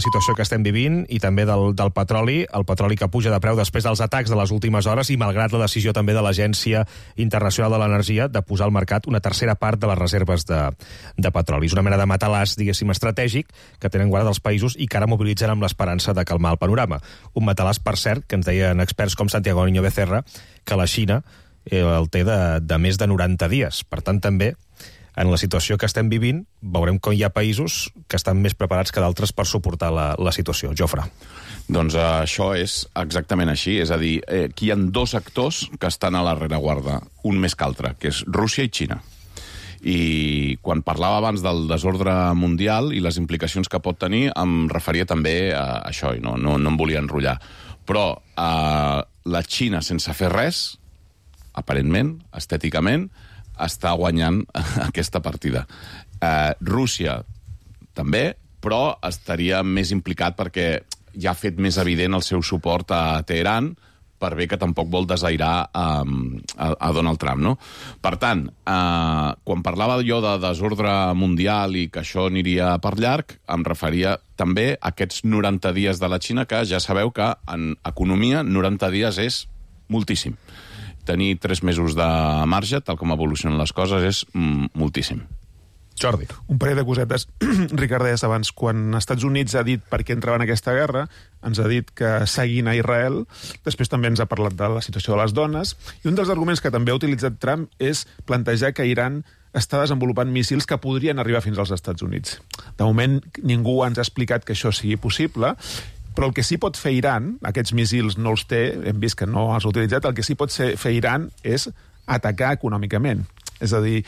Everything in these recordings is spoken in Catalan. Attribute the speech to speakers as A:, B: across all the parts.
A: situació que estem vivint i també del petroli, el petroli que puja de preu després dels atacs de les últimes hores i malgrat la decisió també de l'Agència Internacional de l'Energia de posar al mercat una tercera part de les reserves de petroli. És una mena de matalàs, diguéssim, estratègic que tenen guarda els països i que ara mobilitzen amb l'esperança de calmar el panorama. Un matalàs, per cert, que ens deien experts com Santiago Niño Becerra, que la Xina el té de més de 90 dies. Per tant, també en la situació que estem vivint, veurem com hi ha països que estan més preparats que d'altres per suportar la situació. Jofre.
B: Doncs això és exactament així. És a dir, aquí hi ha dos actors que estan a la rereguarda, un més que altre, que és Rússia i Xina. I quan parlava abans del desordre mundial i les implicacions que pot tenir, em referia també a això, i no em volia enrotllar. Però la Xina, sense fer res, aparentment, estèticament, està guanyant aquesta partida. Rússia també, però estaria més implicat perquè ja ha fet més evident el seu suport a Teheran, per bé que tampoc vol desairar a Donald Trump, no? Per tant, quan parlava jo de desordre mundial i que això aniria per llarg, em referia també a aquests 90 dies de la Xina, que ja sabeu que en economia 90 dies és moltíssim. Tenir 3 mesos de marge, tal com evolucionen les coses, és moltíssim.
A: Jordi.
C: Un parell de cosetes. Ricard deies abans, quan els Estats Units ha dit per què entrava en aquesta guerra, ens ha dit que seguint a Israel, després també ens ha parlat de la situació de les dones, i un dels arguments que també ha utilitzat Trump és plantejar que Iran està desenvolupant míssils que podrien arribar fins als Estats Units. De moment, ningú ens ha explicat que això sigui possible, però el que sí pot fer Iran, aquests míssils no els té, hem vist que no els ha utilitzat, el que sí pot fer Iran és atacar econòmicament. És a dir,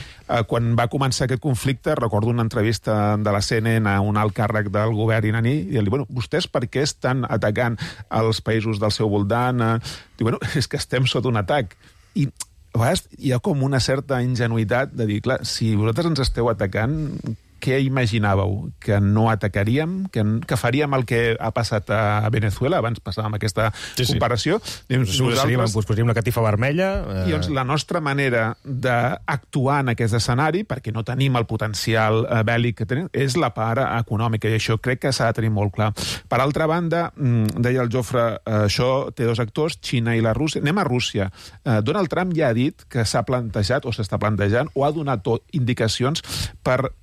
C: quan va començar aquest conflicte, recordo una entrevista de la CNN a un alt càrrec del govern iraní, i li bueno, vostès per què estan atacant els països del seu voltant? Diu, bueno, és que estem sota un atac. I a vegades hi ha com una certa ingenuïtat de dir, clar, si vosaltres ens esteu atacant, què imaginàveu? Que no atacaríem? Que faríem el que ha passat a Venezuela? Abans passàvem aquesta comparació.
A: Posaríem una catifa vermella.
C: I doncs la nostra manera d'actuar en aquest escenari, perquè no tenim el potencial bèl·lic que tenim, és la part econòmica, i això crec que s'ha de tenir molt clar. Per altra banda, deia el Jofre, això té dos actors, Xina i la Rússia. Anem a Rússia. Donald Trump ja ha dit que s'ha plantejat, o s'està plantejant, o ha donat indicacions per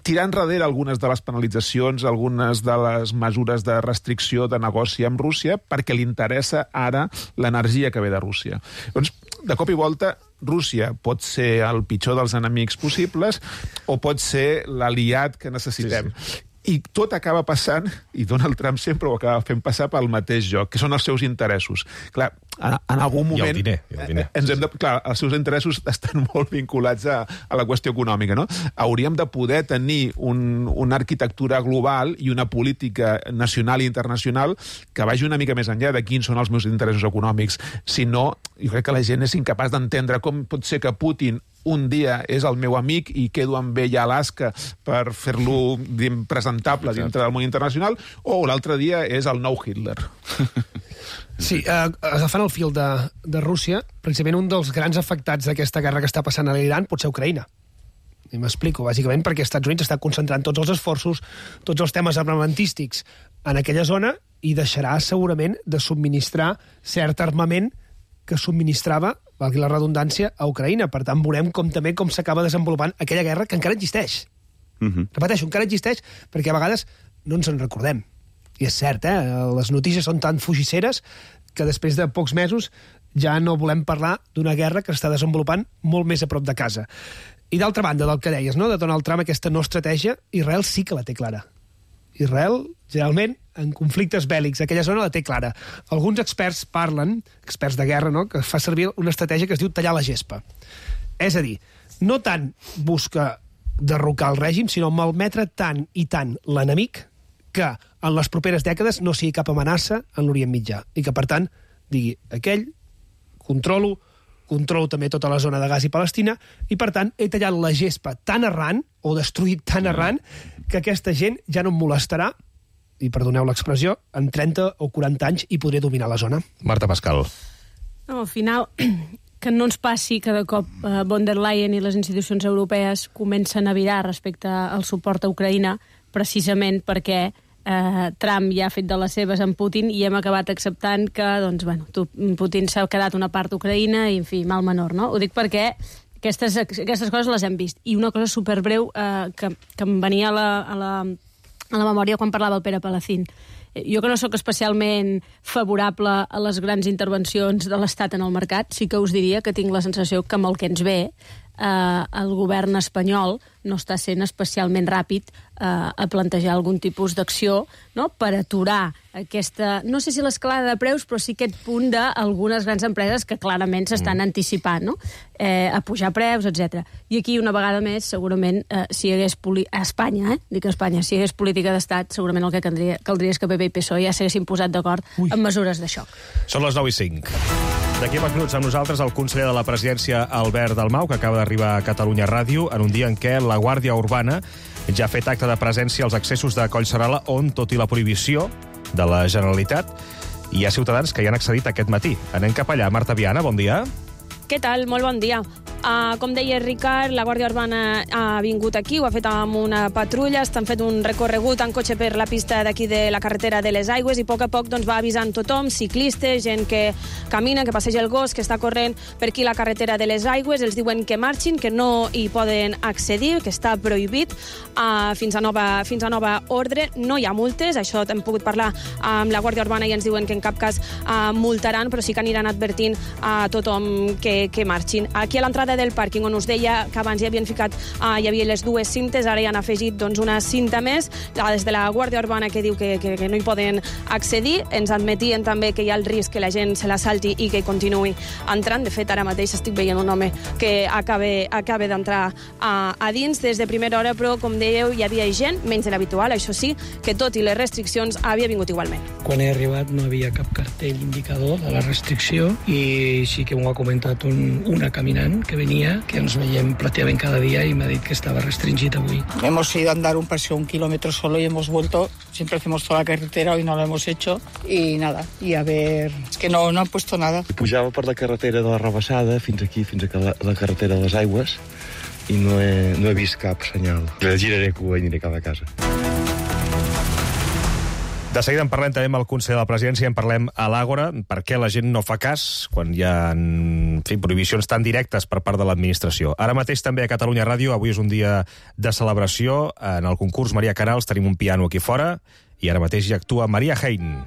C: tirar enrere algunes de les penalitzacions, algunes de les mesures de restricció de negoci amb Rússia, perquè li interessa ara l'energia que ve de Rússia. Doncs, de cop i volta, Rússia pot ser el pitjor dels enemics possibles o pot ser l'aliat que necessitem. Sí. I tot acaba passant, i Donald Trump sempre ho acaba fent passar pel mateix joc, que són els seus interessos. Clar, en algun moment...
A: I el diner.
C: Clar, els seus interessos estan molt vinculats a la qüestió econòmica, no? Hauríem de poder tenir una arquitectura global i una política nacional i internacional que vagi una mica més enllà de quins són els meus interessos econòmics. Si no, jo crec que la gent és incapaç d'entendre com pot ser que Putin un dia és el meu amic i quedo amb ell a Alaska per fer-lo presentable dintre del món internacional, o l'altre dia és el nou Hitler.
D: Sí, agafant el fil de Rússia, precisament un dels grans afectats d'aquesta guerra que està passant a l'Iran pot ser Ucraïna. I m'explico, bàsicament perquè els Estats Units està concentrant tots els esforços, tots els temes armamentístics en aquella zona i deixarà segurament de subministrar cert armament que subministrava, valgui la redundància, a Ucraïna. Per tant, veurem com s'acaba desenvolupant aquella guerra que encara existeix. Repeteixo, encara existeix perquè a vegades no ens en recordem. I és cert, les notícies són tan fugisseres que després de pocs mesos ja no volem parlar d'una guerra que està desenvolupant molt més a prop de casa. I d'altra banda, del que deies, no? De Donald Trump, aquesta no estratègia, Israel sí que la té clara. Israel, generalment, en conflictes bèl·lics, aquella zona la té clara. Alguns experts parlen, experts de guerra, no?, que fa servir una estratègia que es diu tallar la gespa. És a dir, no tant busca derrocar el règim, sinó malmetre tant i tant l'enemic que en les properes dècades no sigui cap amenaça en l'Orient Mitjà. I que, per tant, digui, aquell, controlo també tota la zona de Gaza i Palestina, i, per tant, he tallat la gespa tan arran, o destruït tan arran, que aquesta gent ja no em molestarà, i perdoneu l'expressió, en 30 o 40 anys i podré dominar la zona.
A: Marta Pascal.
E: No, al final, que no ens passi que de cop von der Leyen i les institucions europees comencen a virar respecte al suport a Ucraïna, precisament perquè Trump ja ha fet de les seves amb Putin i hem acabat acceptant que, doncs, bueno, Putin s'ha quedat una part d'Ucraïna i, en fi, mal menor, no? Ho dic perquè aquestes coses les hem vist. I una cosa superbreu que em venia a la memòria quan parlava el Pere Palacín. Jo, que no sóc especialment favorable a les grans intervencions de l'Estat en el mercat, sí que us diria que tinc la sensació que amb el que ens ve el govern espanyol no està sent especialment ràpid a plantejar algun tipus d'acció, no?, per aturar aquesta, no sé si l'escalada de preus, però sí aquest punt d'algunes grans empreses que clarament s'estan anticipant, no?, a pujar preus, etc. I aquí, una vegada més, segurament, si hi hagués a Espanya, dic a Espanya, si hi hagués política d'estat, segurament el que caldria és que PP i PSOE ja s'haguessin posat d'acord en mesures de xoc.
A: Són les 9:05. D'aquí a minuts amb nosaltres el conseller de la Presidència, Albert Dalmau, que acaba d'arribar a Catalunya Ràdio, en un dia en què la Guàrdia Urbana ja ha fet acte de presència als accessos de Collserola, on, tot i la prohibició de la Generalitat, hi ha ciutadans que hi han accedit aquest matí. Anem cap allà. Marta Viana, bon dia.
F: Què tal? Molt bon dia. Com deia Ricard, la Guàrdia Urbana ha vingut aquí, ho ha fet amb una patrulla, estan fent un recorregut en cotxe per la pista d'aquí de la carretera de les Aigües i a poc va avisant tothom, ciclistes, gent que camina, que passeja el gos, que està corrent per aquí la carretera de les Aigües, els diuen que marxin, que no hi poden accedir, que està prohibit fins a nova ordre. No hi ha multes, això hem pogut parlar amb la Guàrdia Urbana i ens diuen que en cap cas multaran, però sí que aniran advertint a tothom que marxin. Aquí a l'entrada del pàrquing, on us deia que abans hi havien ficat, hi havia les dues cintes, ara hi han afegit una cinta més, des de la Guàrdia Urbana que diu que no hi poden accedir. Ens admetien també que hi ha el risc que la gent se la salti i que continuï entrant. De fet, ara mateix estic veient un home que acaba d'entrar a dins des de primera hora, però, com dèieu, hi havia gent, menys de l'habitual, això sí, que tot i les restriccions havia vingut igualment.
G: Quan he arribat no havia cap cartell indicador de la restricció i sí que m'ho ha comentat una caminant que venia, que ens veiem prácticamente cada día y me ha dicho que estaba restringido hoy.
H: Hemos ido a andar un paseo 1 kilómetro solo y hemos vuelto. Siempre hacemos toda la carretera, hoy no lo hemos hecho. Y nada, y a ver, es que no han puesto nada.
I: Pujava per la carretera de la Rebassada fins aquí, fins a la carretera de les Aigües, i no he vist cap senyal. Giraré cua i aniré cap a casa.
A: De seguida en parlem també amb el conseller de la Presidència, en parlem a l'Àgora, per què la gent no fa cas quan hi ha prohibicions tan directes per part de l'administració. Ara mateix també a Catalunya Ràdio, avui és un dia de celebració. En el concurs Maria Canals tenim un piano aquí fora i ara mateix hi actua Maria Hein.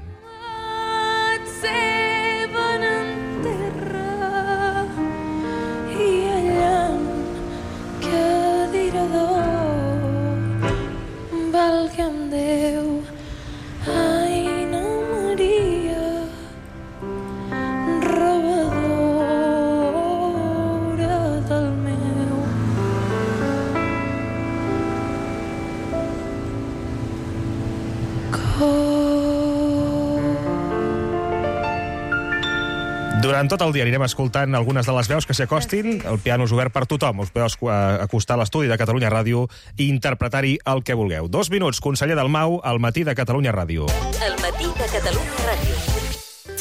A: Durant tot el dia anirem escoltant algunes de les veus que s'hi acostin. El piano és obert per tothom. Us podeu acostar a l'estudi de Catalunya Ràdio i interpretar-hi el que vulgueu. 2 minuts, conseller Dalmau, al matí de Catalunya Ràdio.
J: El matí de Catalunya Ràdio.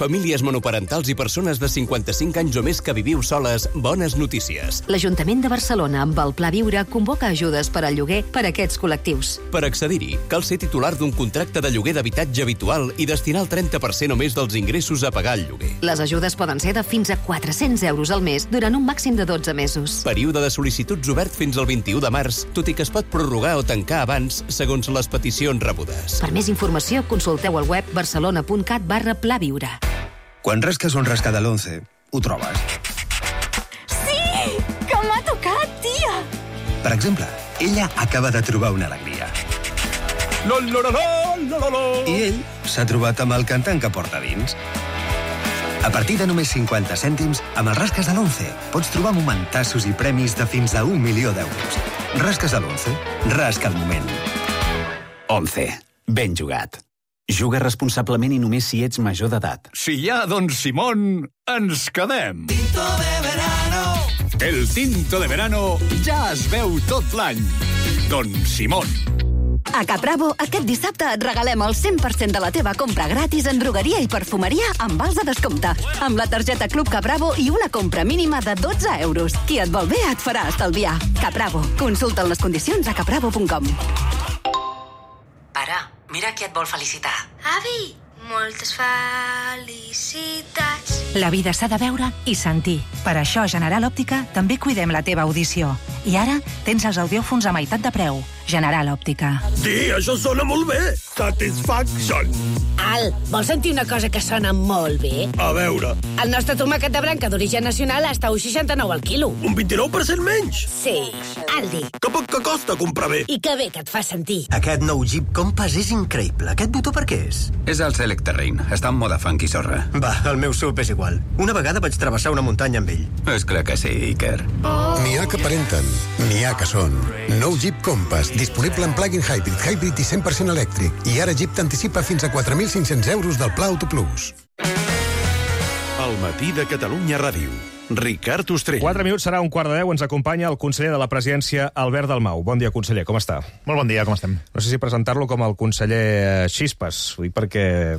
K: Famílies monoparentals i persones de 55 anys o més que viviu soles, bones notícies.
J: L'Ajuntament de Barcelona, amb el Pla Viure, convoca ajudes per al lloguer per a aquests col·lectius.
K: Per accedir-hi, cal ser titular d'un contracte de lloguer d'habitatge habitual i destinar el 30% o més dels ingressos a pagar el lloguer.
J: Les ajudes poden ser de fins a 400 euros al mes durant un màxim de 12 mesos.
K: Període de sol·licituds obert fins al 21 de març, tot i que es pot prorrogar o tancar abans, segons les peticions rebudes.
J: Per més informació, consulteu al web barcelona.cat/plaviure.
L: Quan rasques un rasca de l'11, ho trobes.
M: Sí! Que m'ha tocat, tia!
L: Per exemple, ella acaba de trobar una alegria. I ell s'ha trobat amb el cantant que porta dins. A partir de només 50 cèntims, amb els rasques de l'11 pots trobar momentassos i premis de fins a 1 milió d'euros. Rasques de l'11, rasca el moment.
N: 11. Ben jugat. Juga responsablement i només si ets major d'edat.
O: Si hi ha, doncs, Simón, ens quedem.
P: Tinto de verano.
O: El tinto de verano ja es veu tot l'any. Don Simón.
Q: A Capravo, aquest dissabte et regalem el 100% de la teva compra gratis en drogueria i perfumeria amb vals de descompte. Amb la targeta Club Capravo i una compra mínima de 12 euros. Qui et vol bé et farà estalviar. Capravo. Consulta les condicions a capravo.com.
R: Pare,
P: mira qui et vol felicitar.
R: Avi, moltes felicitats.
S: La vida s'ha de veure i sentir. Per això a General Òptica també cuidem la teva audició. I ara tens els audiòfons a meitat de preu. General Òptica.
T: Sí, això sona molt bé. Satisfaction.
U: Al, vols sentir una cosa que sona molt bé?
T: A veure.
U: El nostre tomàquet de branca d'origen nacional està a 1,69 al quilo.
T: Un 29% menys?
U: Sí, Aldi.
T: Que poc que costa comprar bé.
U: I que bé que et fa sentir.
L: Aquest nou Jeep Compass és increïble. Aquest botó per què és?
V: És el Select Terrain. Està en moda funky sorra.
L: Va, el meu SUV és igual. Una vegada vaig travessar una muntanya amb ell.
V: És clar que sí, Iker.
W: N'hi ha que aparenten, n'hi ha que són. Nou Jeep Compass, disponible en plug-in hybrid i 100% elèctric. I ara Jeep t'anticipa fins a 4.500 euros del Pla Auto Plus.
X: El matí de Catalunya Ràdio. Ricard Ostrell.
A: 4 minuts, serà 1:15. Ens acompanya el conseller de la Presidència, Albert Dalmau. Bon dia, conseller, com està?
C: Molt bon dia, com estem?
A: No sé si presentar-lo com el conseller Xispes, ho dic perquè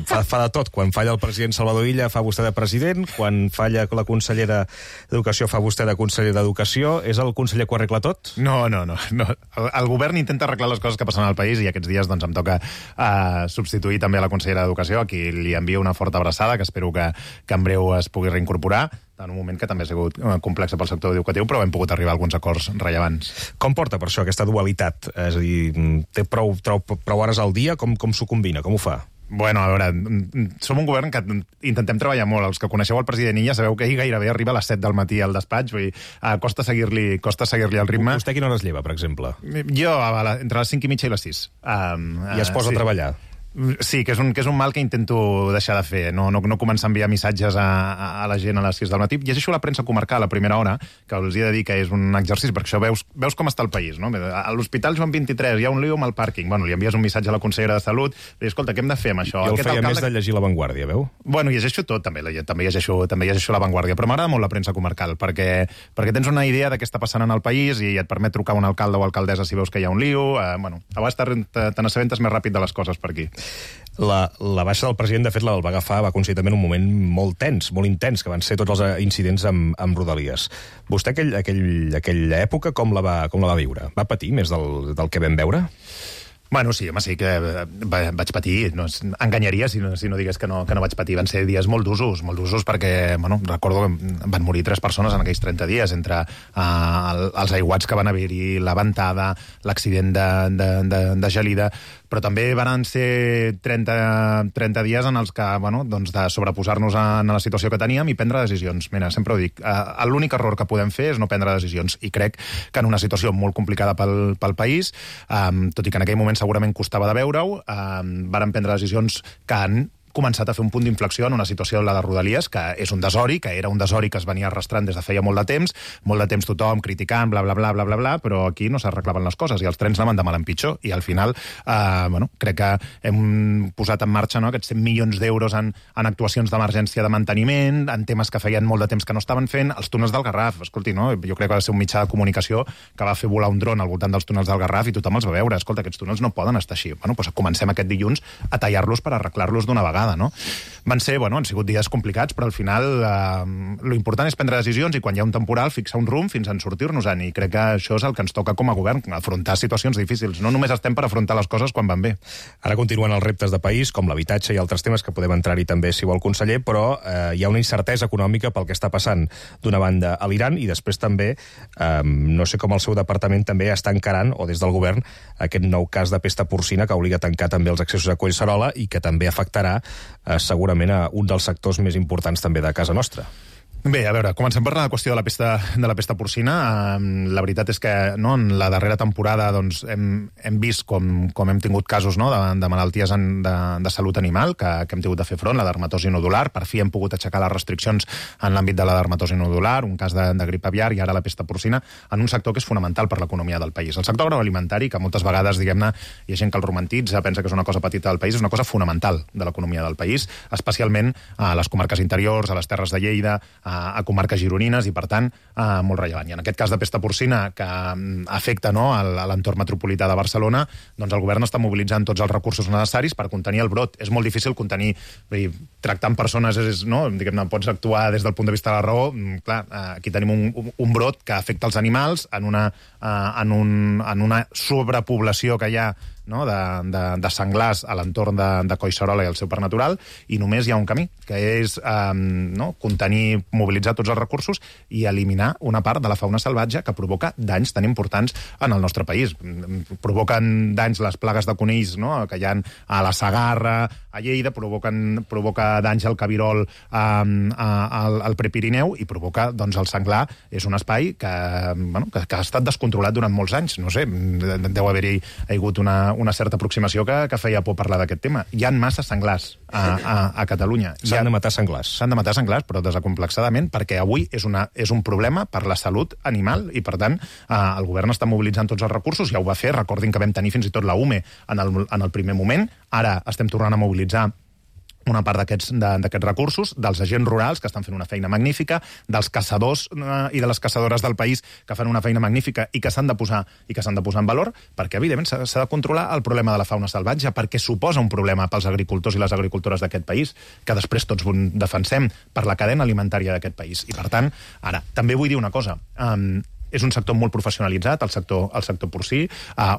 A: fa de tot. Quan falla el president Salvador Illa, fa vostè de president. Quan falla la consellera d'Educació, fa vostè de conseller d'Educació. És el conseller que ho arregla tot?
C: No. El govern intenta arreglar les coses que passen al país i aquests dies doncs, em toca substituir també a la consellera d'Educació, a qui li envio una forta abraçada, que espero que en breu es pugui reincorporar, en un moment que també ha sigut complex pel sector educatiu, però hem pogut arribar a alguns acords rellevants.
A: Com porta, per això, aquesta dualitat? És a dir, té prou hores al dia? Com s'ho combina? Com ho fa?
C: Bueno, a veure, som un govern que intentem treballar molt. Els que coneixeu el president Illa sabeu que ell gairebé arriba a les 7 del matí al despatx, vull dir, costa seguir-li el ritme.
A: Vostè a quina hora es lleva, per exemple?
C: Jo, entre les 5 i mitja i les 6.
A: I es posa a treballar?
C: Sí, que és un mal que intento deixar de fer, no començar a enviar missatges a la gent a les 6 del matí. Llegeixo la premsa comarcal a primera hora, que us he de dir que és un exercici, perquè això veus com està el país, no? A l'Hospital Joan 23 hi ha un lío amb el pàrquing. Bueno, li envies un missatge a la consellera de Salut, i dius, escolta, què hem de fer amb això?
A: Jo el feia més de llegir La Vanguardia, veu?
C: Bueno, llegeixo tot, també llegeixo La Vanguardia, però m'agrada molt la premsa comarcal, perquè tens una idea de què està passant en el país i et permet trucar a un alcalde o alcaldessa si veus que hi ha un lío. A vegades te n'assabentes més ràpid de les coses per aquí.
A: La baixa del president, de fet, va coincidir també en un moment molt tens, molt intens, que van ser tots els incidents amb Rodalies. Vostè aquella època com la va viure? Va patir més del que vam veure?
C: Bueno, sí, home, sí que vaig patir. No, enganyaria si no digués que no vaig patir. Van ser dies molt d'usos perquè, recordo que van morir 3 persones en aquells 30 dies, entre els aiguats que van haver-hi, la ventada, l'accident de gelida, però també van ser 30 dies en els que, de sobreposar-nos a la situació que teníem i prendre decisions. Mira, sempre ho dic, l'únic error que podem fer és no prendre decisions, i crec que en una situació molt complicada pel país, tot i que en aquell moment segurament costava de veure-ho, varen prendre decisions que han començat a fer un punt d'inflexió en una situació, la de Rodalies, que és un desori, que era un desori que es venia arrastrant des de feia molt de temps tothom criticant, bla, bla, bla, bla, bla, bla, però aquí no s'arreglaven les coses, i els trens anaven de mal en pitjor, i al final, crec que hem posat en marxa aquests 100 milions d'euros en actuacions d'emergència de manteniment, en temes que feien molt de temps que no estaven fent, els túnels del Garraf, escolti, jo crec que va ser un mitjà de comunicació que va fer volar un dron al voltant dels túnels del Garraf i tothom els va veure, escolta, aquests túnels no poden estar així. Comencem aquest dilluns a tallar-los per arreglar-los d'una vegada. No? Han sigut dies complicats, però al final lo important és prendre decisions i quan hi ha un temporal fixar un rumb fins a sortir-nos-en, i crec que això és el que ens toca com a govern, afrontar situacions difícils. No només estem per afrontar les coses quan van bé.
A: Ara continuen els reptes de país, com l'habitatge i altres temes que podem entrar-hi també, si vol, conseller, però hi ha una incertesa econòmica pel que està passant d'una banda a l'Iran, i després també, no sé com el seu departament també està encarant, o des del govern, aquest nou cas de pesta porcina que obliga a tancar també els accessos a Collserola i que també afectarà segurament a un dels sectors més importants també de casa nostra.
C: Bé, a veure, comencem per la qüestió de la pesta porcina. La veritat és que en la darrera temporada hem vist com hem tingut casos de malalties de salut animal que hem tingut de fer front, la dermatosi nodular. Per fi hem pogut aixecar les restriccions en l'àmbit de la dermatosi nodular, un cas de grip aviar, i ara la pesta porcina, en un sector que és fonamental per l'economia del país. El sector agroalimentari, que moltes vegades, diguem-ne, hi ha gent que el romantitza, pensa que és una cosa petita del país, és una cosa fonamental de l'economia del país, especialment a les comarques interiors, a les terres de Lleida, a comarques gironines, i per tant molt rellevant. I en aquest cas de pesta porcina que afecta a l'entorn metropolità de Barcelona, doncs el govern està mobilitzant tots els recursos necessaris per contenir el brot. És molt difícil contenir, tractant persones, diguem-ne, pots actuar des del punt de vista de la raó. Clar, aquí tenim un brot que afecta els animals en una sobrepoblació que hi ha
B: no, de senglars a l'entorn de Collserola i el seu parc natural, i només hi ha un camí, que és contenir, mobilitzar tots els recursos i eliminar una part de la fauna salvatge que provoca danys tan importants en el nostre país. Provoquen danys les plagues de conills, no?, que hi ha a la Segarra, a Lleida, provoca danys al cabirol al Prepirineu i provoca, doncs, el senglar és un espai que ha estat descontrolat durant molts anys. No sé, deu haver-hi hagut una certa aproximació que feia por parlar d'aquest tema. Hi ha massa senglars a Catalunya.
A: S'han de matar senglars.
B: S'han de matar senglars, però desacomplexadament, perquè avui és un problema per la salut animal i, per tant, el govern està mobilitzant tots els recursos, ja ho va fer, recordin que vam tenir fins i tot la UME en el primer moment, ara estem tornant a mobilitzar una part d'aquests recursos, dels agents rurals, que estan fent una feina magnífica, dels caçadors i de les caçadores del país, que fan una feina magnífica i que s'han de posar en valor, perquè, evidentment, s'ha de controlar el problema de la fauna salvatge, perquè suposa un problema pels agricultors i les agricultores d'aquest país, que després tots defensem per la cadena alimentària d'aquest país. I, per tant, ara, també vull dir una cosa. És un sector molt professionalitzat, el sector porcí,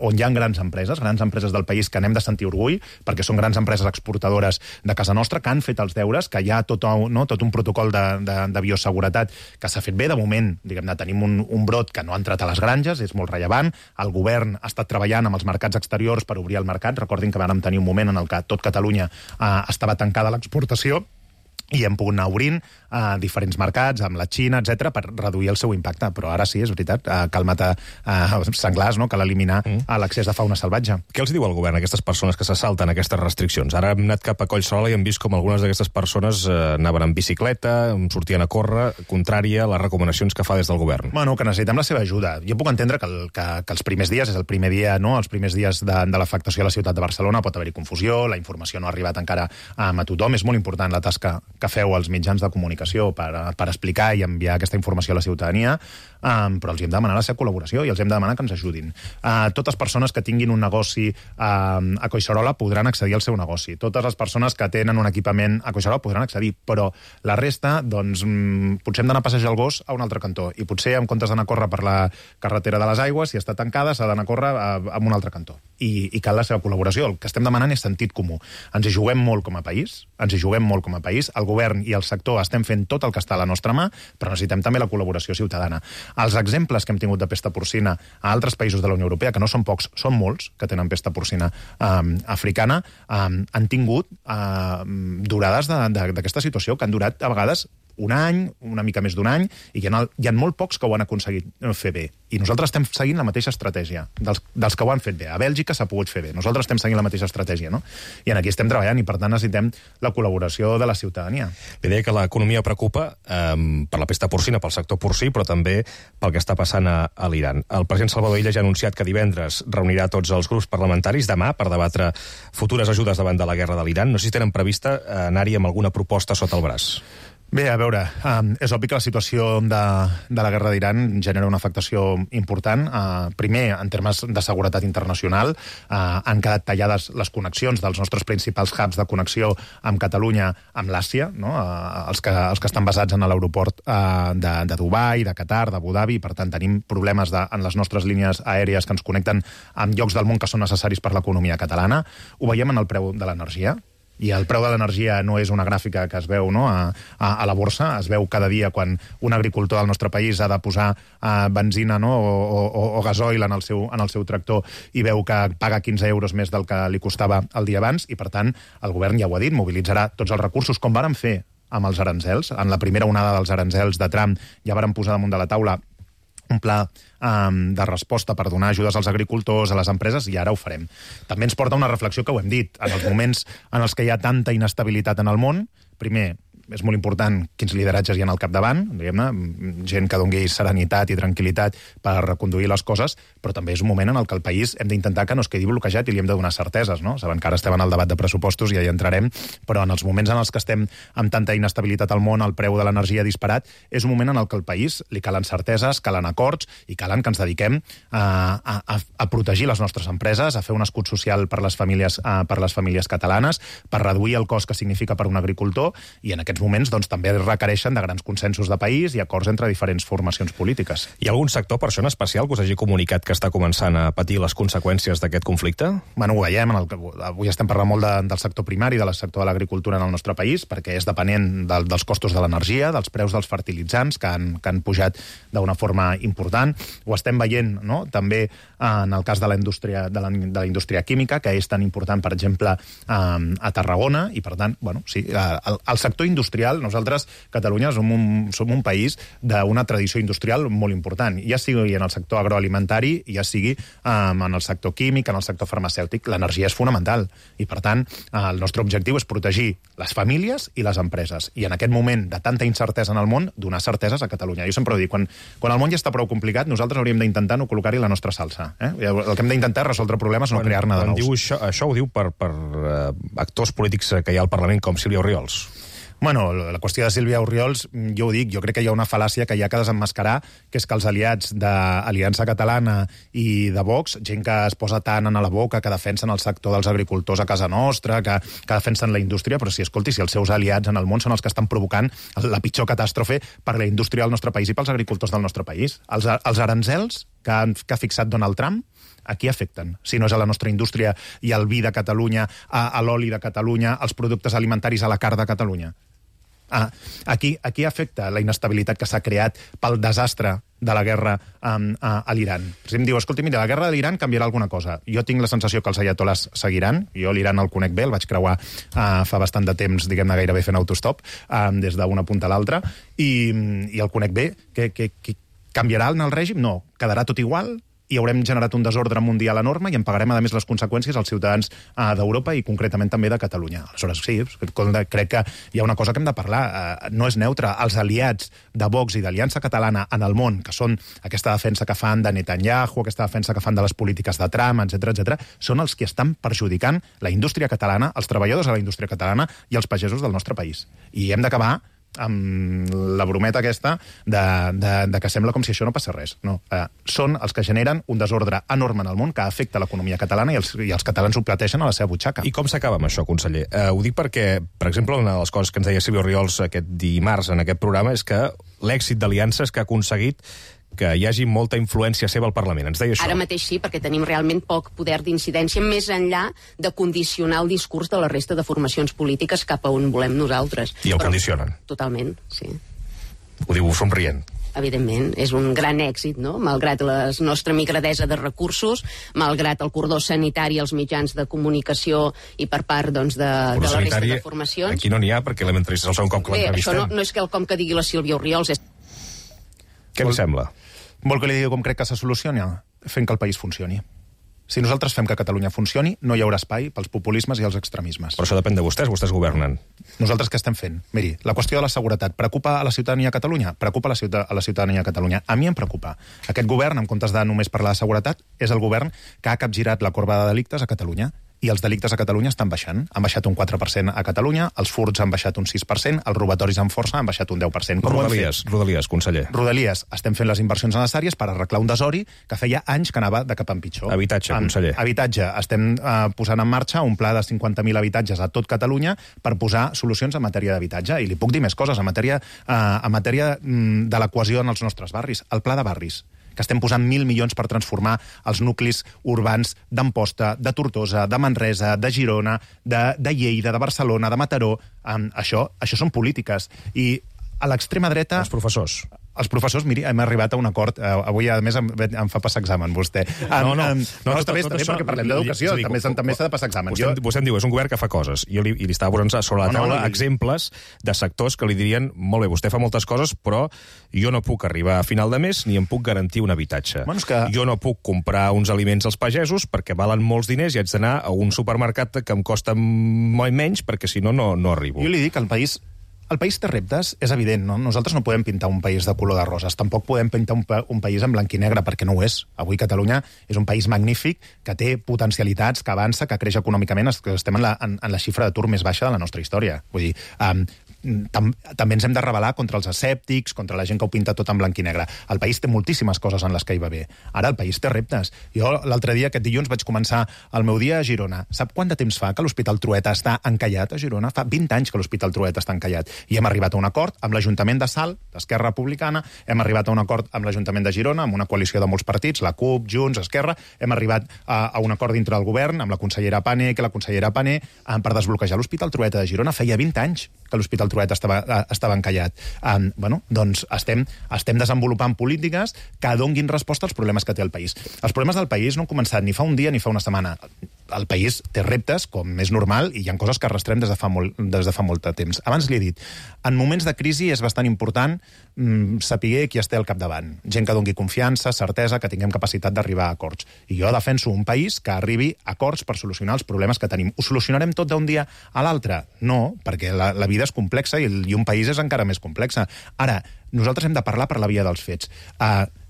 B: on hi ha grans empreses del país que n'hem de sentir orgull, perquè són grans empreses exportadores de casa nostra, que han fet els deures, que hi ha tot un protocol de bioseguretat que s'ha fet bé. De moment, diguem-ne, tenim un brot que no ha entrat a les granges, és molt rellevant. El govern ha estat treballant amb els mercats exteriors per obrir el mercat. Recordin que vam tenir un moment en el que tot Catalunya estava tancada a l'exportació, i hem pogut anar obrint diferents mercats, amb la Xina, etc, per reduir el seu impacte. Però ara sí, és veritat, cal matar senglars, no? Cal eliminar l'accés de fauna salvatge.
A: Què els diu el govern a aquestes persones que se salten aquestes restriccions? Ara hem anat cap a Collserola i hem vist com algunes d'aquestes persones anaven en bicicleta, sortien a córrer, contrària a les recomanacions que fa des del govern.
B: Bueno, que necessitem la seva ajuda. Jo puc entendre que els primers dies, és el primer dia, no? Els primers dies de l'afectació a la ciutat de Barcelona, pot haver-hi confusió, la informació no ha arribat encara a tothom. És molt important la tasca que feu als mitjans de comunicació per explicar i enviar aquesta informació a la ciutadania, però els hem de demanar la seva col·laboració i els hem de demanar que ens ajudin. Totes les persones que tinguin un negoci a Collserola podran accedir al seu negoci. Totes les persones que tenen un equipament a Collserola podran accedir, però la resta, doncs, potser hem d'anar a passejar el gos a un altre cantó i potser, en comptes d'anar a córrer per la carretera de les Aigües, si està tancada, s'ha d'anar a córrer a un altre cantó. I cal la seva col·laboració. El que estem demanant és sentit comú. Ens hi juguem molt com a país, el govern i el sector estem fent tot el que està a la nostra mà, però necessitem també la col·laboració ciutadana. Els exemples que hem tingut de pesta porcina a altres països de la Unió Europea, que no són pocs, són molts, que tenen pesta porcina africana, han tingut durades d'aquesta situació que han durat a vegades un any, una mica més d'un any, i hi ha molt pocs que ho han aconseguit fer bé. I nosaltres estem seguint la mateixa estratègia dels que ho han fet bé. A Bèlgica s'ha pogut fer bé. Nosaltres estem seguint la mateixa estratègia, no? I aquí estem treballant i, per tant, necessitem la col·laboració de la ciutadania.
A: Li deia que l'economia preocupa per la pesta porcina, pel sector porcí, però també pel que està passant a l'Iran. El president Salvador Illa ja ha anunciat que divendres reunirà tots els grups parlamentaris demà per debatre futures ajudes davant de la guerra de l'Iran. No sé si tenen prevista anar-hi amb alguna proposta sota el braç.
B: Bé, a veure, és obvi que la situació de la guerra d'Iran genera una afectació important. Primer, en termes de seguretat internacional, han quedat tallades les connexions dels nostres principals hubs de connexió amb Catalunya, amb l'Àsia, no? els que estan basats en l'aeroport de Dubai, de Qatar, d'Abu Dhabi. Per tant, tenim problemes en les nostres línies aèries que ens connecten amb llocs del món que són necessaris per l'economia catalana. Ho veiem en el preu de l'energia. I el preu de l'energia no és una gràfica que es veu, no, a la borsa, es veu cada dia quan un agricultor del nostre país ha de posar benzina, no, o gasoil en el seu tractor i veu que paga 15 euros més del que li costava el dia abans, i per tant el govern ja ho ha dit, mobilitzarà tots els recursos, com vàrem fer amb els aranzels. En la primera onada dels aranzels de Trump ja vàrem posar damunt de la taula un pla de resposta per donar ajudes als agricultors, a les empreses, i ara ho farem. També ens porta una reflexió que ho hem dit. En els moments en els que hi ha tanta inestabilitat en el món, primer, és molt important quins lideratges hi ha al capdavant, diguem-ne, gent que doni serenitat i tranquil·litat per reconduir les coses, però també és un moment en el que el país hem d'intentar que no es quedi bloquejat i li hem de donar certeses, no? Saben que ara estem en el debat de pressupostos i ja hi entrarem, però en els moments en els que estem amb tanta inestabilitat al món, el preu de l'energia disparat, és un moment en el que al país li calen certeses, calen acords i calen que ens dediquem a protegir les nostres empreses, a fer un escut social per les famílies catalanes, per reduir el cost que significa per un agricultor, i en aquest aquests moments doncs, també requereixen de grans consensos de país i acords entre diferents formacions polítiques.
A: Hi ha algun sector, per això en especial, que us hagi comunicat que està començant a patir les conseqüències d'aquest conflicte?
B: Bueno, ho veiem. Avui estem parlant molt del sector primari, del sector de l'agricultura en el nostre país, perquè és depenent dels costos de l'energia, dels preus dels fertilitzants, que han pujat d'una forma important. Ho estem veient, no?, també en el cas de la indústria química, que és tan important, per exemple, a Tarragona, i per tant, bueno, sí, el sector industrial, nosaltres, Catalunya, som un país d'una tradició industrial molt important, ja sigui en el sector agroalimentari, ja sigui en el sector químic, en el sector farmacèutic, l'energia és fonamental, i per tant, el nostre objectiu és protegir les famílies i les empreses, i en aquest moment de tanta incertesa en el món, donar certeses a Catalunya. Jo sempre ho dic, quan el món ja està prou complicat, nosaltres hauríem d'intentar no col·locar-hi la nostra salsa. El que hem d'intentar és resoldre problemes, no crear-ne de nous.
A: Diu això ho diu per actors polítics que hi ha al Parlament, com Sílvia Orriols.
B: Bueno, la qüestió de Sílvia Orriols, jo ho dic, jo crec que hi ha una fal·làcia que hi ha que desemmascarar, que és que els aliats d'Aliança Catalana i de Vox, gent que es posa tant a la boca, que defensen el sector dels agricultors a casa nostra, que defensen la indústria, però si els seus aliats en el món són els que estan provocant la pitjor catàstrofe per la indústria del nostre país i pels agricultors del nostre país. Els aranzels que ha fixat Donald Trump, a qui afecten? Si no és a la nostra indústria i al vi de Catalunya, a l'oli de Catalunya, als productes alimentaris, a la carn de Catalunya. Aquí afecta la inestabilitat que s'ha creat pel desastre de la guerra a l'Iran. Si em diu, escolta, mira, la guerra de l'Iran canviarà alguna cosa. Jo tinc la sensació que els ayatolás seguiran. Jo l'Iran el conec bé, el vaig creuar fa bastant de temps, diguem-ne, gairebé fent autostop, des d'una punta a l'altra, i el conec bé. Que canviarà en el règim? No. Quedarà tot igual? I haurem generat un desordre mundial enorme i en pagarem, a més, les conseqüències als ciutadans d'Europa i concretament també de Catalunya. Aleshores, sí, crec que hi ha una cosa que hem de parlar. No és neutre. Els aliats de Vox i d'Aliança Catalana en el món, que són aquesta defensa que fan de Netanyahu, aquesta defensa que fan de les polítiques de Trump, etc., són els que estan perjudicant la indústria catalana, els treballadors de la indústria catalana i els pagesos del nostre país. I hem d'acabar amb la brometa aquesta de que sembla com si això no passés res. No. Són els que generen un desordre enorme en el món que afecta l'economia catalana i els catalans ho plateixen a la seva butxaca.
A: I com s'acaba amb això, conseller? Ho dic perquè, per exemple, una de les coses que ens deia Sílvia Orriols aquest dimarts en aquest programa és que l'èxit d'Aliança és que ha aconseguit que hi hagi molta influència seva al Parlament. Ens deia això.
D: Ara mateix sí, perquè tenim realment poc poder d'incidència més enllà de condicionar el discurs de la resta de formacions polítiques cap a on volem nosaltres.
A: I el condicionen.
D: Totalment, sí.
A: Ho diu somrient.
D: Evidentment, és un gran èxit, no? Malgrat la nostra migradesa de recursos, malgrat el cordó sanitari als mitjans de comunicació i per part doncs, de la resta de formacions.
A: Aquí no n'hi ha, perquè l'entrevistes el segon cop que l'entrevistem.
D: Això no és quelcom que digui la Sílvia Orriols.
A: Què li sembla?
B: Vol que li digui com crec que se soluciona? Fent que el país funcioni. Si nosaltres fem que Catalunya funcioni, no hi haurà espai pels populismes i els extremismes.
A: Però això depèn de vostès governen.
B: Nosaltres què estem fent? Miri, la qüestió de la seguretat preocupa a la ciutadania a Catalunya? Preocupa a la ciutadania a Catalunya. A mi em preocupa. Aquest govern, en comptes de només parlar de seguretat, és el govern que ha capgirat la corba de delictes a Catalunya. I els delictes a Catalunya estan baixant. Han baixat un 4% a Catalunya, els furts han baixat un 6%, els robatoris amb força han baixat un 10%.
A: Rodalies, conseller.
B: Rodalies. Estem fent les inversions necessàries per arreglar un desori que feia anys que anava de cap en pitjor.
A: Habitatge, conseller.
B: Habitatge. Estem posant en marxa un pla de 50.000 habitatges a tot Catalunya per posar solucions en matèria d'habitatge. I li puc dir més coses en matèria de la cohesió en els nostres barris. El pla de barris, que estem posant 1.000 milions per transformar els nuclis urbans d'Amposta, de Tortosa, de Manresa, de Girona, de Lleida, de Barcelona, de Mataró. Això són polítiques. I a l'extrema dreta... Els professors, miri, hem arribat a un acord. Avui, a més, em fa passar examen, vostè. No, està bé perquè parlem d'educació. També s'ha de passar examen.
A: Vostè em diu, és un govern que fa coses. I li estava posant sobre la taula exemples de sectors que li dirien, molt bé, vostè fa moltes coses, però jo no puc arribar a final de mes ni em puc garantir un habitatge. Jo no puc comprar uns aliments als pagesos perquè valen molts diners i haig d'anar a un supermercat que em costa molt menys perquè, si no, no arribo.
B: Jo li dic, el país té reptes, és evident, no? Nosaltres no podem pintar un país de color de roses, tampoc podem pintar un país en blanc i negre, perquè no ho és. Avui Catalunya és un país magnífic, que té potencialitats, que avança, que creix econòmicament, que estem en la xifra d'atur més baixa de la nostra història. Vull dir, també ens hem de rebel·lar contra els escèptics, contra la gent que ho pinta tot en blanc i negre. El país té moltíssimes coses en les que hi va bé. Ara el país té reptes. Jo l'altre dia, aquest dilluns, vaig començar el meu dia a Girona. Sap quant de temps fa que l'Hospital Trueta està encallat a Girona? Fa 20 anys que l'Hospital Trueta està encallat. I hem arribat a un acord amb l'Ajuntament de Salt, d'Esquerra Republicana, hem arribat a un acord amb l'Ajuntament de Girona, amb una coalició de molts partits, la CUP, Junts, Esquerra, hem arribat a un acord dintre del govern, amb la consellera Pané, per desbloquejar l'Hospital Trueta de Girona. Feia 20 anys que l'Hospital Trueta estava encallat. Doncs estem desenvolupant polítiques que donguin resposta als problemes que té el país. Els problemes del país no han començat ni fa un dia ni fa una setmana. El país té reptes, com és normal, i hi ha coses que arrastrem des de fa molt de temps. Abans li he dit, en moments de crisi és bastant important saber qui es té al capdavant. Gent que doni confiança, certesa, que tinguem capacitat d'arribar a acords. I jo defenso un país que arribi a acords per solucionar els problemes que tenim. Ho solucionarem tot d'un dia a l'altre? No, perquè la vida és complexa i un país és encara més complexa. Ara, nosaltres hem de parlar per la via dels fets.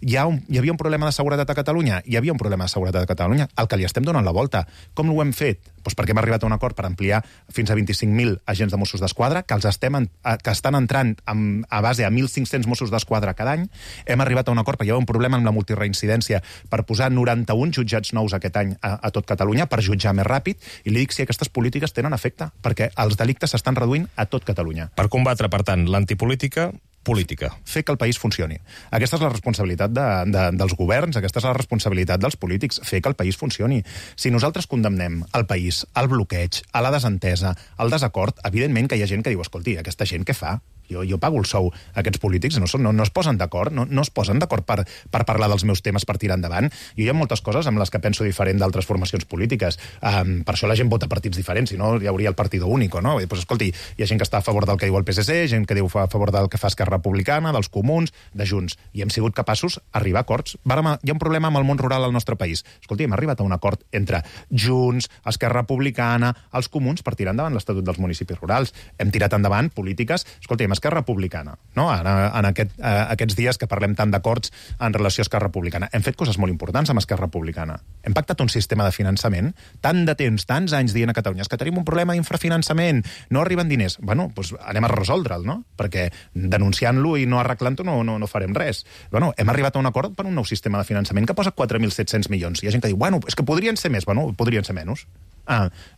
B: Hi havia un problema de seguretat a Catalunya? Hi havia un problema de seguretat a Catalunya, al que li estem donant la volta. Com ho hem fet? Doncs perquè hem arribat a un acord per ampliar fins a 25.000 agents de Mossos d'Esquadra, que estan entrant a base a 1.500 Mossos d'Esquadra cada any. Hem arribat a un acord perquè hi havia un problema amb la multireincidència per posar 91 jutjats nous aquest any a tot Catalunya, per jutjar més ràpid, i li dic si aquestes polítiques tenen efecte, perquè els delictes s'estan reduint a tot Catalunya.
A: Per combatre, per tant, l'antipolítica, política.
B: Fer que el país funcioni. Aquesta és la responsabilitat dels governs, aquesta és la responsabilitat dels polítics, fer que el país funcioni. Si nosaltres condemnem el país al bloqueig, a la desentesa, al desacord, evidentment que hi ha gent que diu, escolti, aquesta gent què fa? Jo pago el sou. Aquests polítics no es posen d'acord, no es posen d'acord per parlar dels meus temes, per tirar endavant. Jo hi ha moltes coses amb les que penso diferent d'altres formacions polítiques. Per això la gent vota partits diferents, si no hi hauria el partido único, no? Pues, escolti, hi ha gent que està a favor del que diu el PSC, gent que diu a favor del que fa Esquerra Republicana, dels Comuns, de Junts, i hem sigut capaços d'arribar a acords. Hi ha un problema amb el món rural al nostre país. Escolti, hem arribat a un acord entre Junts, Esquerra Republicana, els Comuns, per tirar endavant l'Estatut dels Municipis Rurals. Hem tirat endavant polítiques, escolti, Esquerra Republicana, no? En aquests dies que parlem tant d'acords en relació a Esquerra Republicana. Hem fet coses molt importants amb Esquerra Republicana. Hem pactat un sistema de finançament, tant de temps, tants anys dient a Catalunya, és que tenim un problema d'infrafinançament, no arriben diners. Doncs anem a resoldre'l, no? Perquè denunciant-lo i no arreglant-ho no farem res. Hem arribat a un acord per un nou sistema de finançament que posa 4.700 milions. Hi ha gent que diu, és que podrien ser més. Podrien ser menys.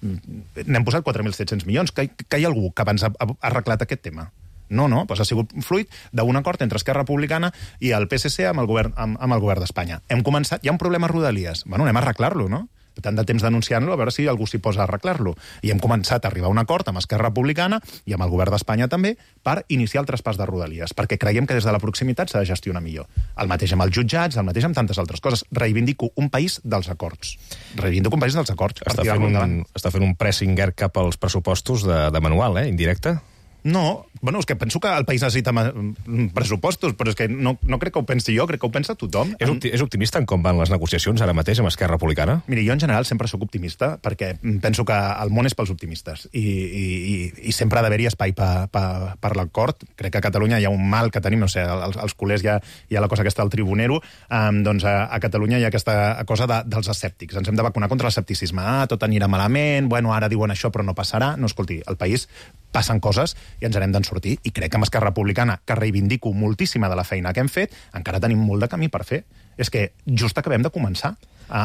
B: N'hem posat 4.700 milions. Que hi ha algú que abans ha arreglat aquest tema? No, ha sigut fruit d'un acord entre Esquerra Republicana i el PSC amb el govern d'Espanya. Hem començat, hi ha un problema a Rodalies, anem a arreglar-lo, no? Tant de temps denunciant-lo, a veure si algú s'hi posa a arreglar-lo. I hem començat a arribar a un acord amb Esquerra Republicana i amb el govern d'Espanya també per iniciar el traspàs de Rodalies, perquè creiem que des de la proximitat s'ha de gestionar millor. El mateix amb els jutjats, el mateix amb tantes altres coses. Reivindico un país dels acords.
A: Està fent un pressing cap als pressupostos de manual, indirecte?
B: No, és que penso que el país necessita pressupostos, però és que no crec que ho pensi jo, crec que ho pensa tothom.
A: És optimista en com van les negociacions ara mateix amb Esquerra Republicana?
B: Miri, jo en general sempre sóc optimista, perquè penso que el món és pels optimistes, i sempre ha d'haver-hi espai per l'acord. Crec que a Catalunya hi ha un mal que tenim, no sé, als culers hi ha la cosa aquesta del tribunero, doncs a Catalunya hi ha aquesta cosa dels escèptics. Ens hem de vacunar contra l'escepticisme. Tot anirà malament, ara diuen això però no passarà. No, escolti, al país passen coses i ens n'hem d'en sortir, i crec que amb Esquerra Republicana, que reivindico moltíssima de la feina que hem fet, encara tenim molt de camí per fer. És que just acabem de començar.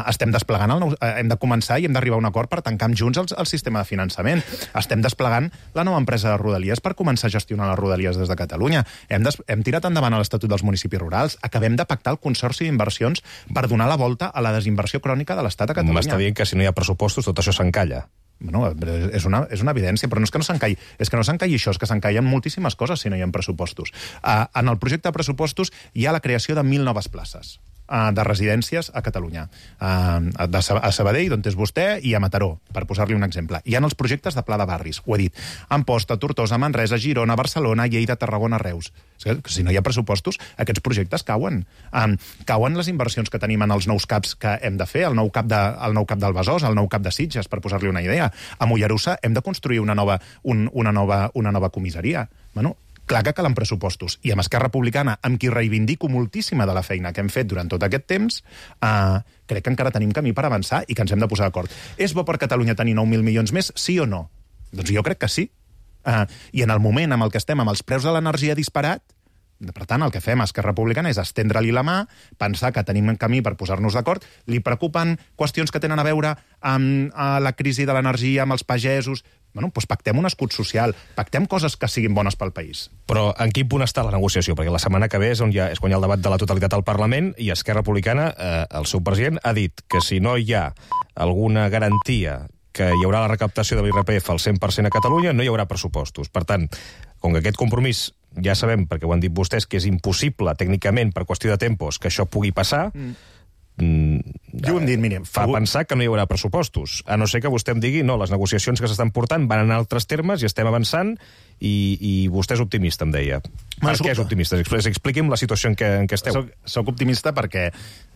B: Estem desplegant hem de començar i hem d'arribar a un acord per tancar amb Junts el sistema de finançament. Estem desplegant la nova empresa de Rodalies per començar a gestionar les Rodalies des de Catalunya. Hem tirat endavant l'Estatut dels Municipis Rurals. Acabem de pactar el Consorci d'Inversions per donar la volta a la desinversió crònica de l'Estat a Catalunya.
A: M'està dient que si no hi ha pressupostos tot això s'encalla.
B: És una evidència, però no és que no s'encalli. És que no s'encalli això, és que s'encallen moltíssimes coses si no hi ha pressupostos. En el projecte de pressupostos hi ha la creació de 1.000 noves places de residències a Catalunya. A Sabadell, d'on és vostè, i a Mataró, per posar-li un exemple. Hi ha els projectes de pla de barris, ho he dit. Amposta, Tortosa, Manresa, Girona, Barcelona, Lleida, Tarragona, Reus. Si no hi ha pressupostos, aquests projectes cauen. Cauen les inversions que tenim en els nous CAPs que hem de fer, el nou CAP del Besòs, el nou CAP de Sitges, per posar-li una idea. A Mollerussa hem de construir una nova comissaria. Clar que calen pressupostos. I amb Esquerra Republicana, amb qui reivindico moltíssima de la feina que hem fet durant tot aquest temps, crec que encara tenim camí per avançar i que ens hem de posar d'acord. És bo per Catalunya tenir 9.000 milions més, sí o no? Doncs jo crec que sí. I en el moment amb el que estem, amb els preus de l'energia disparat, per tant, el que fem a Esquerra Republicana és estendre-li la mà, pensar que tenim un camí per posar-nos d'acord. Li preocupen qüestions que tenen a veure amb la crisi de l'energia, amb els pagesos. Bueno, doncs pactem un escut social, pactem coses que siguin bones pel país.
A: Però en quin punt està la negociació? Perquè la setmana que ve és quan hi ha el debat de la totalitat al Parlament i Esquerra Republicana, el seu president, ha dit que si no hi ha alguna garantia que hi haurà la recaptació de l'IRPF al 100% a Catalunya, no hi haurà pressupostos. Per tant, com que aquest compromís ja sabem, perquè ho han dit vostès, que és impossible tècnicament per qüestió de tempos que això pugui passar,
B: jo ho hem dit, mira,
A: fa pensar que no hi haurà pressupostos, a no ser que vostè em digui no, les negociacions que s'estan portant van en altres termes i estem avançant i vostè és optimista, em deia. Per què és optimista? Expliqui'm la situació en què esteu.
B: Soc optimista perquè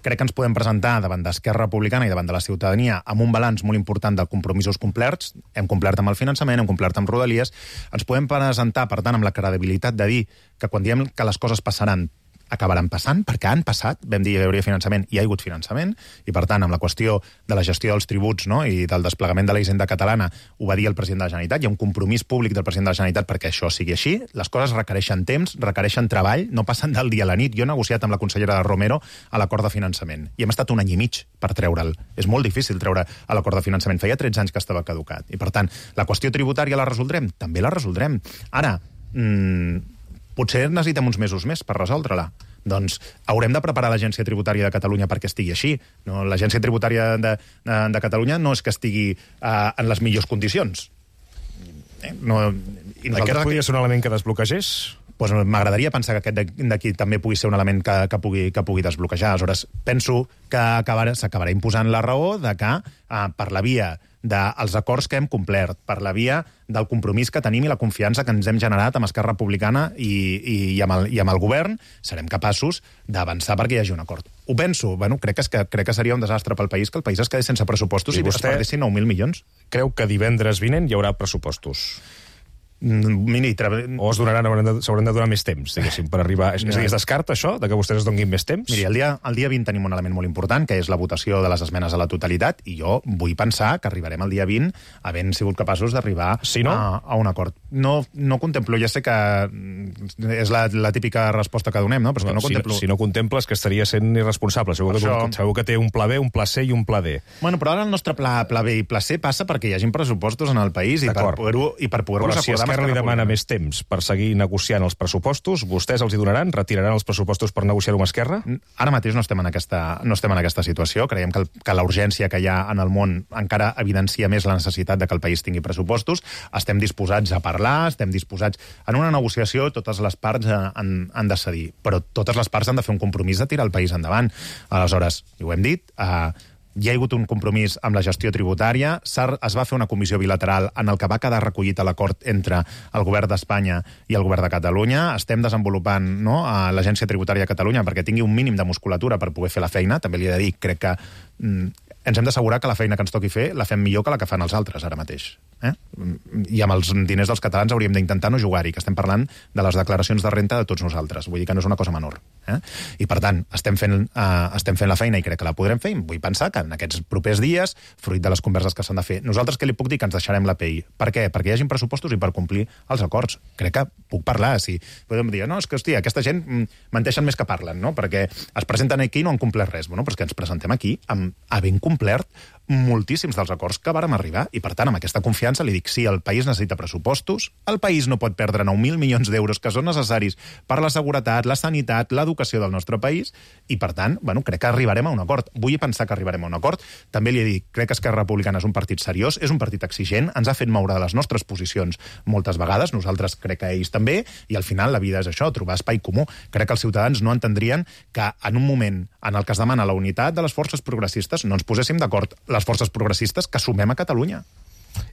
B: crec que ens podem presentar davant d'Esquerra Republicana i davant de la ciutadania amb un balanç molt important de compromisos complerts. Hem complert amb el finançament, hem complert amb Rodalies. Ens podem presentar, per tant, amb la credibilitat de dir que quan diem que les coses passaran acabaran passant, perquè han passat, vam dir que hi hauria finançament, i hi ha hagut finançament, i per tant, amb la qüestió de la gestió dels tributs, no?, i del desplegament de la hisenda catalana, ho va dir el president de la Generalitat, hi ha un compromís públic del president de la Generalitat perquè això sigui així, les coses requereixen temps, requereixen treball, no passen del dia a la nit. Jo he negociat amb la consellera Romero a l'acord de finançament, i hem estat un any i mig per treure'l. És molt difícil treure a l'acord de finançament, feia 13 anys que estava caducat, i per tant, la qüestió tributària la resoldrem? També la resoldrem. Ara, potser necessitem uns mesos més per resoldre-la. Doncs haurem de preparar l'Agència Tributària de Catalunya perquè estigui així. No, l'Agència Tributària de Catalunya no és que estigui en les millors condicions.
A: Aquest podria ser un element que desbloquegés?
B: Pues m'agradaria pensar que aquest d'aquí també pugui ser un element que pugui desbloquejar. Aleshores, penso que s'acabarà imposant la raó de que per la via dels acords que hem complert, per la via del compromís que tenim i la confiança que ens hem generat amb Esquerra Republicana i amb el govern, serem capaços d'avançar perquè hi hagi un acord. Ho penso, crec que seria un desastre pel país que el país es quedés sense pressupostos i es perdessin 9.000 milions.
A: Creu que divendres vinent hi haurà pressupostos? O s'hauran de donar més temps, diguéssim, per arribar... Es descarta això, de que vostès es donguin més temps?
B: Miri, el dia 20 tenim un element molt important, que és la votació de les esmenes a la totalitat, i jo vull pensar que arribarem el dia 20 havent sigut capaços d'arribar a un acord. No contemplo, ja sé que és la típica resposta que donem, no? Però és que no contemplo...
A: Si no contemples, que estaria sent irresponsable. Segur que té un pla B, un pla C i un pla D.
B: Bueno, però ara el nostre pla B i pla C passa perquè hi hagin pressupostos en el país i per poder-los acordar.
A: Esquerra li demana més temps per seguir negociant els pressupostos, vostès els hi donaran? Retiraran els pressupostos per negociar-ho amb Esquerra?
B: Ara mateix no estem en aquesta situació. Creiem que la urgència que hi ha en el món encara evidencia més la necessitat de que el país tingui pressupostos. Estem disposats a parlar, estem disposats... En una negociació totes les parts han de cedir, però totes les parts han de fer un compromís de tirar el país endavant. Aleshores, ho hem dit... Hi ha hagut un compromís amb la gestió tributària, es va fer una comissió bilateral en el que va quedar recollit l'acord entre el govern d'Espanya i el govern de Catalunya. Estem desenvolupant l'Agència Tributària de Catalunya perquè tingui un mínim de musculatura per poder fer la feina. També li he de dir, crec que ens hem d'assegurar que la feina que ens toqui fer la fem millor que la que fan els altres ara mateix. I amb els diners dels catalans hauríem d'intentar no jugar-hi, que estem parlant de les declaracions de renta de tots nosaltres. Vull dir que no és una cosa menor. I, per tant, estem fent la feina i crec que la podrem fer. Vull pensar que en aquests propers dies, fruit de les converses que s'han de fer, nosaltres què li puc dir? Que ens deixarem la pell. Per què? Perquè hi hagin pressupostos i per complir els acords. Crec que puc parlar. Si podem dir, no, és que, hòstia, aquesta gent menteixen més que parlen, no? Perquè es presenten aquí i no han complert res. Bueno, però és que ens presentem aquí havent complert moltíssims dels acords que vàrem arribar i, per tant, amb aquesta confiança li dic, sí, el país necessita pressupostos, el país no pot perdre 9.000 milions d'euros que són necessaris per la seguretat, la sanitat, l'educació del nostre país i, per tant, crec que arribarem a un acord. Vull pensar que arribarem a un acord. També li he dit, crec que Esquerra Republicana és un partit seriós, és un partit exigent, ens ha fet moure de les nostres posicions moltes vegades, nosaltres crec que ells també, i al final la vida és això, trobar espai comú. Crec que els ciutadans no entendrien que en un moment en el que es demana la unitat de les forces progressistes no ens poséssim d'acord les forces progressistes que sumem a Catalunya.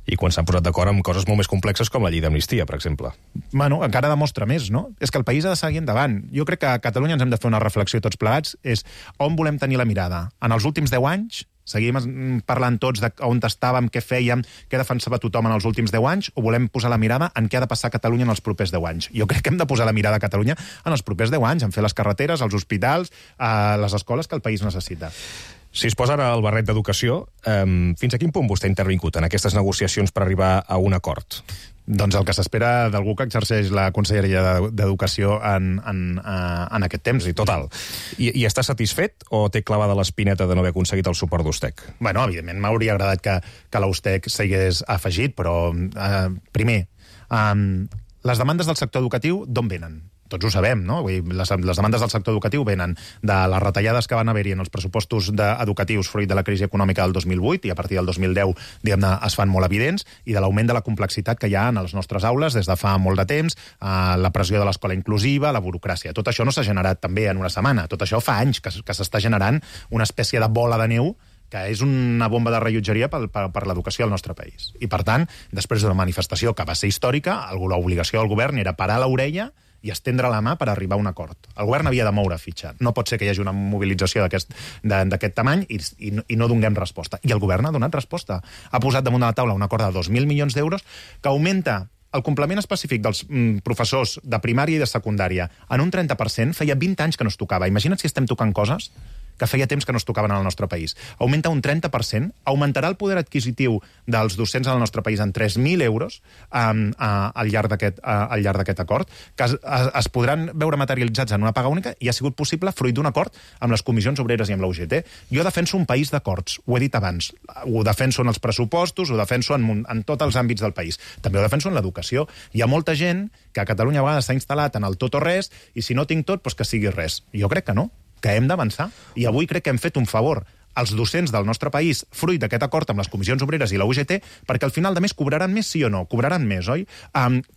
A: I quan s'han posat d'acord amb coses molt més complexes com la llei d'amnistia, per exemple.
B: Encara demostra més, no? És que el país ha de seguir endavant. Jo crec que a Catalunya ens hem de fer una reflexió tots plegats, és on volem tenir la mirada. En els últims 10 anys, seguim parlant tots d'on estàvem, què fèiem, què defensava tothom en els últims 10 anys, o volem posar la mirada en què ha de passar Catalunya en els propers 10 anys? Jo crec que hem de posar la mirada a Catalunya en els propers 10 anys, en fer les carreteres, els hospitals, les escoles que el país necessita.
A: Si es posa ara el barret d'educació, fins a quin punt vostè ha intervingut en aquestes negociacions per arribar a un acord?
B: Doncs el que s'espera d'algú que exerceix la Conselleria d'Educació en aquest temps.
A: I total. I està satisfet o té clavada l'espineta de no haver aconseguit el suport d'Ustec?
B: Bueno, evidentment m'hauria agradat que l'Ustec s'hagués afegit, però primer, les demandes del sector educatiu d'on venen? Tots ho sabem, no? Vull dir, les demandes del sector educatiu venen de les retallades que van haver-hi en els pressupostos educatius fruit de la crisi econòmica del 2008 i a partir del 2010, diguem-ne, es fan molt evidents, i de l'augment de la complexitat que hi ha en les nostres aules des de fa molt de temps, la pressió de l'escola inclusiva, la burocràcia. Tot això no s'ha generat també en una setmana. Tot això fa anys que s'està generant una espècie de bola de neu que és una bomba de rellotgeria per l'educació al nostre país. I, per tant, després d'una manifestació que va ser històrica, l'obligació del govern era parar l'orella i estendre la mà per arribar a un acord. El govern havia de moure fitxa. No pot ser que hi hagi una mobilització d'aquest tamany i no donem resposta. I el govern ha donat resposta. Ha posat damunt de la taula un acord de 2.000 milions d'euros que augmenta el complement específic dels professors de primària i de secundària en un 30%. Feia 20 anys que no es tocava. Imagina't si estem tocant coses que feia temps que no es tocaven al nostre país. Augmenta un 30%, augmentarà el poder adquisitiu dels docents al nostre país en 3.000 euros al llarg d'aquest acord, que es podran veure materialitzats en una paga única i ha sigut possible fruit d'un acord amb les comissions obreres i amb la UGT. Jo defenso un país d'acords, ho he dit abans. Ho defenso en els pressupostos, ho defenso en tots els àmbits del país. També ho defenso en l'educació. Hi ha molta gent que a Catalunya a vegades s'ha instal·lat en el tot o res, i si no tinc tot, doncs que sigui res. Jo crec que no, que hem d'avançar. I avui crec que hem fet un favor als docents del nostre país, fruit d'aquest acord amb les comissions obreres i la UGT, perquè al final de mes cobraran més, sí o no? Cobraran més, oi?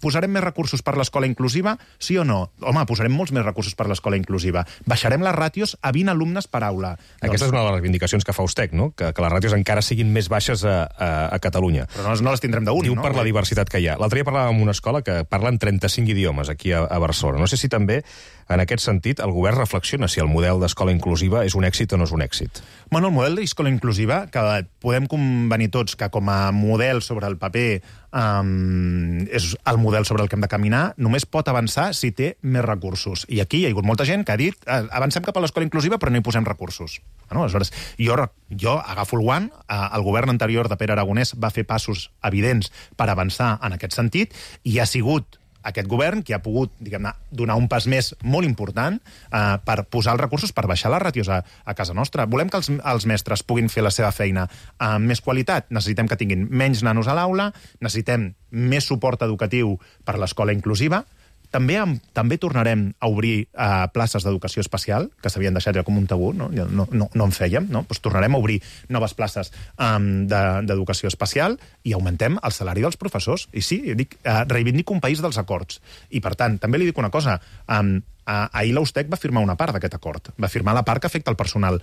B: Posarem més recursos per l'escola inclusiva, sí o no? Home, posarem molts més recursos per l'escola inclusiva. Baixarem les ràtios a 20 alumnes per aula.
A: Aquesta és una de les reivindicacions que fa Ustec, no? Que les ràtios encara siguin més baixes a Catalunya.
B: Però no les tindrem d'un, no?
A: Diu per la diversitat que hi ha. L'altre dia parlàvem amb una escola que parlen 35 idiomes aquí a Barcelona. No sé si també, en aquest sentit, el govern reflexiona si el model d'escola inclusiva és un èxit o no és un èxit.
B: Bueno, el model d'escola inclusiva, que podem convenir tots que com a model sobre el paper és el model sobre el que hem de caminar, només pot avançar si té més recursos. I aquí hi ha hagut molta gent que ha dit avancem cap a l'escola inclusiva però no hi posem recursos. Bueno, aleshores, jo agafo el guant, el govern anterior de Pere Aragonès va fer passos evidents per avançar en aquest sentit i ha sigut aquest govern que ha pogut, diguem-ne, donar un pas més molt important per posar els recursos, per baixar les ràtios a casa nostra. Volem que els mestres puguin fer la seva feina amb més qualitat. Necessitem que tinguin menys nanos a l'aula, necessitem més suport educatiu per l'escola inclusiva. També tornarem a obrir places d'educació especial, que s'havien deixat ja com un tabú, no en fèiem, no? Doncs tornarem a obrir noves places d'educació especial i augmentem el salari dels professors. I sí, reivindico un país dels acords. I, per tant, també li dic una cosa, ahir l'Ustec va firmar una part d'aquest acord. Va firmar la part que afecta el personal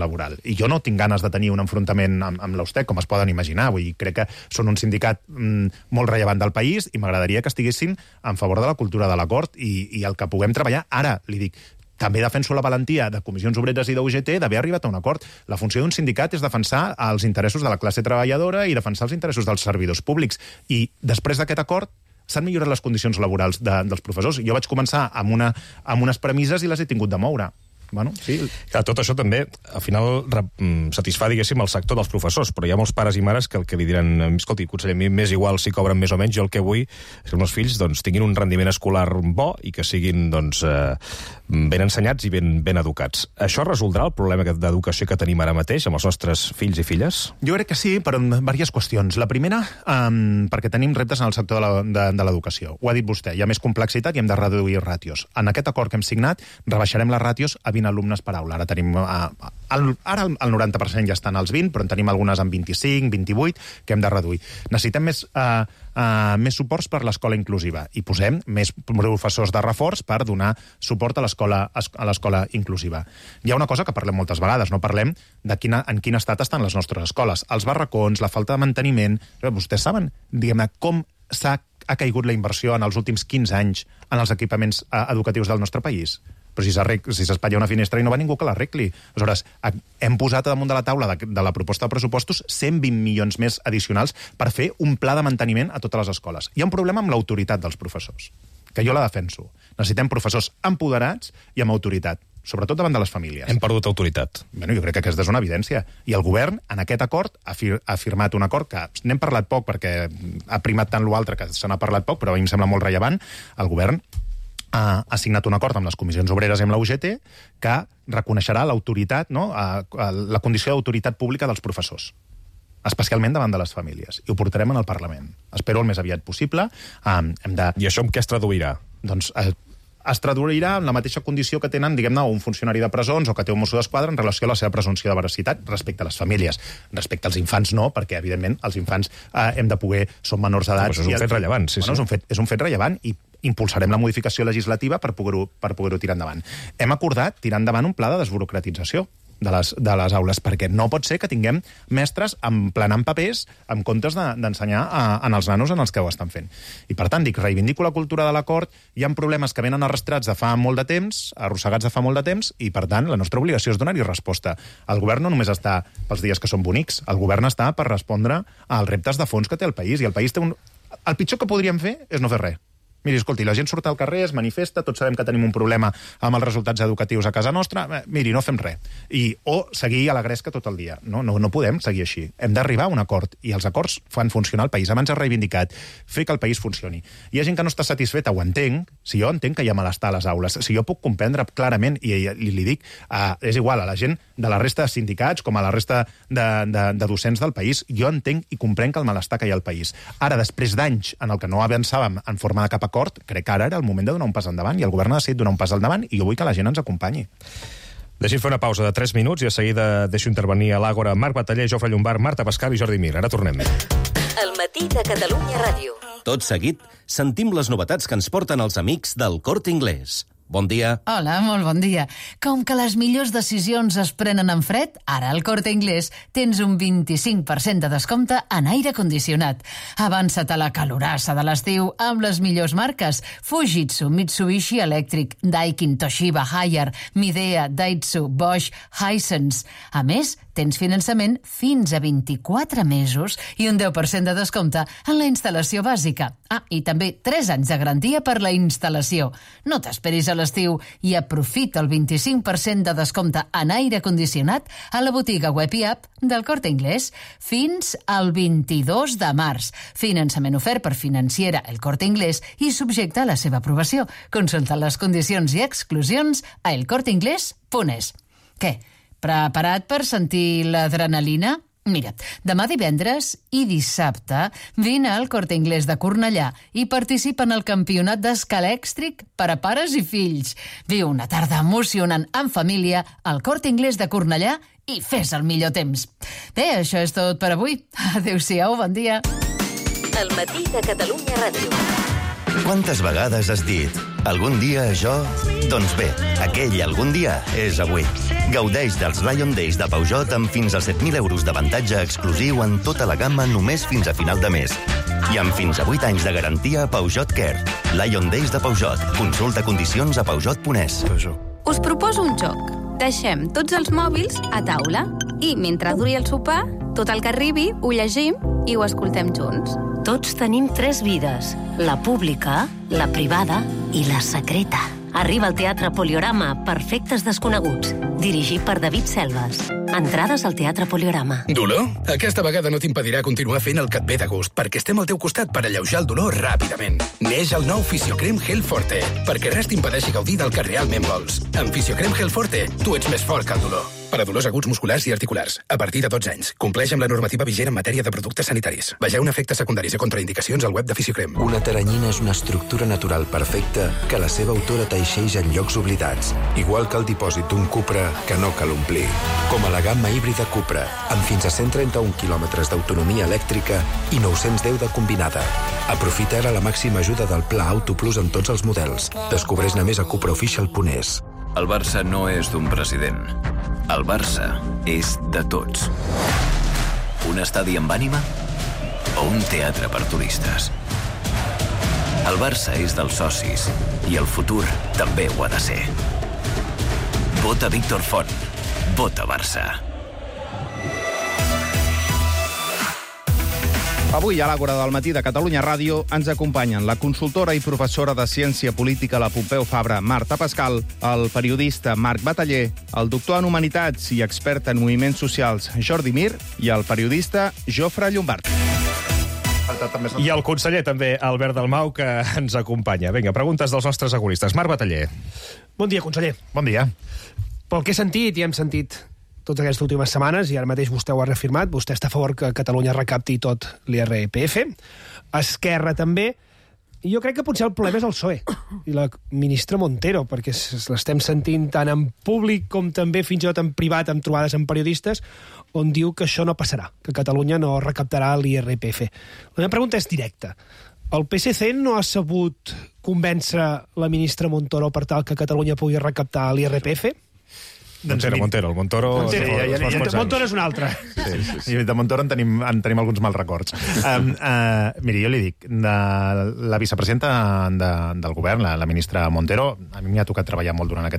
B: laboral. I jo no tinc ganes de tenir un enfrontament amb l'Ustec, com es poden imaginar. Vull dir, crec que són un sindicat molt rellevant del país i m'agradaria que estiguessin en favor de la cultura de l'acord i el que puguem treballar. Ara, li dic, també defenso la valentia de comissions obreres i d'UGT d'haver arribat a un acord. La funció d'un sindicat és defensar els interessos de la classe treballadora i defensar els interessos dels servidors públics. I després d'aquest acord s'han millorat les condicions laborals dels professors. Jo vaig començar amb unes premisses i les he tingut de moure. Bueno, sí.
A: Clar, tot això també, al final, satisfà, diguéssim, el sector dels professors, però hi ha molts pares i mares que el que li diran, escolti, conseller, a mi m'és igual si cobren més o menys, jo el que vull és que els meus fills tinguin un rendiment escolar bo i que siguin ben ensenyats i ben educats. Això resoldrà el problema d'educació que tenim ara mateix amb els nostres fills i filles?
B: Jo crec que sí, però en diverses qüestions. La primera, perquè tenim reptes en el sector de l'educació. Ho ha dit vostè, hi ha més complexitat i hem de reduir ràtios. En aquest acord que hem signat, rebaixarem les ràtios a 20 alumnes per aula. Ara tenim ara el 90% ja estan als 20, però en tenim algunes amb 25, 28, que hem de reduir. Necessitem més suports per l'escola inclusiva i posem més professors de reforç per donar suport a l'escola inclusiva. Hi ha una cosa que parlem moltes vegades, no parlem de en quin estat estan les nostres escoles. Els barracons, la falta de manteniment. Vostès saben, diguem-ne, com ha caigut la inversió en els últims 15 anys en els equipaments educatius del nostre país? Però si s'espatlla una finestra i no va ningú que l'arregli. Aleshores, hem posat damunt de la taula de la proposta de pressupostos 120 milions més addicionals per fer un pla de manteniment a totes les escoles. Hi ha un problema amb l'autoritat dels professors, que jo la defenso. Necessitem professors empoderats i amb autoritat. sobretot davant de les famílies.
A: Hem perdut autoritat.
B: Bueno, jo crec que aquesta és una evidència. I el govern, en aquest acord, ha firmat un acord que n'hem parlat poc perquè ha primat tant l'altre que se n'ha parlat poc, però a mi em sembla molt rellevant. El govern ha signat un acord amb les comissions obreres i amb la UGT que reconeixerà l'autoritat, no? La condició d'autoritat pública dels professors, especialment davant de les famílies. I ho portarem en el Parlament. Espero el més aviat possible.
A: I això en què es traduirà?
B: Doncs es traduirà en la mateixa condició que tenen, diguem-ne, un funcionari de presons o que té un mosso d'esquadra en relació a la seva presumpció de veracitat respecte a les famílies. Respecte als infants no, perquè, evidentment, els infants hem de poder... Són menors d'edat...
A: Això és un fet rellevant, sí.
B: És un fet rellevant i impulsarem la modificació legislativa per poder-ho tirar endavant. Hem acordat tirar endavant un pla de desburocratització de les aules, perquè no pot ser que tinguem mestres emplenant papers en comptes d'ensenyar en els nanos en els que ho estan fent. I, per tant, reivindico la cultura de l'acord, hi ha problemes que venen arrastrats de fa molt de temps, arrossegats de fa molt de temps, i, per tant, la nostra obligació és donar-hi resposta. El govern no només està pels dies que són bonics, el govern està per respondre als reptes de fons que té el país, i el país té un... El pitjor que podríem fer és no fer res. Miri, escolti, la gent surt al carrer, es manifesta, tots sabem que tenim un problema amb els resultats educatius a casa nostra, miri, no fem res. O seguir a la gresca tot el dia. No podem seguir així. Hem d'arribar a un acord, i els acords fan funcionar el país. Abans ha reivindicat fer que el país funcioni. Hi ha gent que no està satisfeta, ho entenc, si jo entenc que hi ha malestar a les aules, si jo puc comprendre clarament, i li dic, és igual a la gent de la resta de sindicats com a la resta de docents del país, jo entenc i comprenc el malestar que hi ha al país. Ara, després d'anys en el que no avançàvem en forma de cap acord, crec que ara era el moment de donar un pas endavant, i el govern ha decidit donar un pas endavant, i jo vull que la gent ens acompanyi.
A: Deixi'm fer una pausa de 3 minuts i de seguida deixo intervenir a l'Àgora Marc Bataller, Jofre Llombart, Marta Pascal i Jordi Mir. Ara tornem.
J: El matí de Catalunya Ràdio.
K: Tot seguit, sentim les novetats que ens porten els amics del Corte Inglés. Bon dia.
E: Hola, molt bon dia. Com que les millors decisions es prenen en fred, ara al Corte Inglés tens un 25% de descompte en aire condicionat. Avança't a la calorassa de l'estiu amb les millors marques: Fujitsu, Mitsubishi Electric, Daikin, Toshiba, Haier, Midea, Daitsu, Bosch, Hisense. A més, tens finançament fins a 24 mesos i un 10% de descompte en la instal·lació bàsica. I també 3 anys de garantia per la instal·lació. No t'esperis a l'estiu i aprofita el 25% de descompte en aire condicionat a la botiga web i app del Corte Inglés fins al 22 de març. Finançament ofert per Financiera El Corte Inglés i subjecte a la seva aprovació. Consulta les condicions i exclusions a elcorteinglés.es. Què? Preparat per sentir l'adrenalina? Mira, demà divendres i dissabte vine al Corte Inglés de Cornellà i participa en el campionat d'escalèxtric per a pares i fills. Viu una tarda emocionant en família al Corte Inglés de Cornellà i fes el millor temps. Bé, això és tot per avui. Adéu-siau, bon dia.
J: El matí de Catalunya Ràdio.
F: Quantes vegades has dit algun dia això? Doncs bé, aquell algun dia és avui. Gaudeix dels Lion Days de Peugeot amb fins a 7.000 euros d'avantatge exclusiu en tota la gamma només fins a final de mes. I amb fins a 8 anys de garantia a Peugeot Care. Lion Days de Peugeot. Consulta condicions a peugeot.es.
G: Us proposo un joc. Deixem tots els mòbils a taula i, mentre duri el sopar, tot el que arribi ho llegim i ho escoltem junts.
J: Tots tenim 3 vides: la pública, la privada i la secreta. Arriba al Teatre Poliorama Perfectes Desconeguts, dirigit per David Selves. Entrades al Teatre Poliorama.
O: Dolor? Aquesta vegada no t'impedirà continuar fent el que et ve de gust, perquè estem al teu costat per alleujar el dolor ràpidament. Neix el nou Fisiocrem Gel Forte, perquè res t'impedeixi gaudir del que realment vols. Amb Fisiocrem Gel Forte, tu ets més fort que el dolor. Per a dolors aguts musculars i articulars, a partir de 12 anys. Compleix amb la normativa vigent en matèria de productes sanitaris. Vegeu efectes secundaris i contraindicacions al web de Fisiocrem.
P: Una teranyina és una estructura natural perfecta que la seva autora teixeix en llocs oblidats, igual que el dipòsit d'un Cupra que no cal omplir. Com a la gamma híbrida Cupra, amb fins a 131 quilòmetres d'autonomia elèctrica i 910 de combinada. Aprofita ara la màxima ajuda del Pla Auto Plus en tots els models. Descobreix-ne més a cupraofficial.es.
V: El Barça no és d'un president. El Barça és de tots. Un estadi amb ànima o un teatre per turistes? El Barça és dels socis i el futur també ho ha de ser. Vota Víctor Font. Vota Barça.
H: Avui a l'Àgora del matí de Catalunya Ràdio ens acompanyen la consultora i professora de Ciència Política a la Pompeu Fabra, Marta Pascal, el periodista Marc Bataller, el doctor en Humanitats i expert en moviments socials Jordi Mir i el periodista Jofre Llombard.
A: I el conseller també, Albert Dalmau, que ens acompanya. Vinga, preguntes dels nostres agoristes. Marc Bataller.
I: Bon dia, conseller.
B: Bon dia.
I: Pel que he sentit, i hem sentit totes aquestes últimes setmanes, i ara mateix vostè ho ha reafirmat, vostè està a favor que Catalunya recapti tot l'IRPF, Esquerra també, i jo crec que potser el problema és el PSOE i la ministra Montero, perquè l'estem sentint tant en públic com també fins i tot en privat, amb trobades amb periodistes, on diu que això no passarà, que Catalunya no recaptarà l'IRPF. La meva pregunta és directa. El PSC no ha sabut convèncer la ministra Montoro per tal que Catalunya pugui recaptar l'IRPF?
A: Montero.
I: Montoro és un altre.
B: Sí. De Montoro en tenim alguns mals records. Miri, jo li dic, la vicepresidenta del govern, la ministra Montero, a mi m'ha tocat treballar molt durant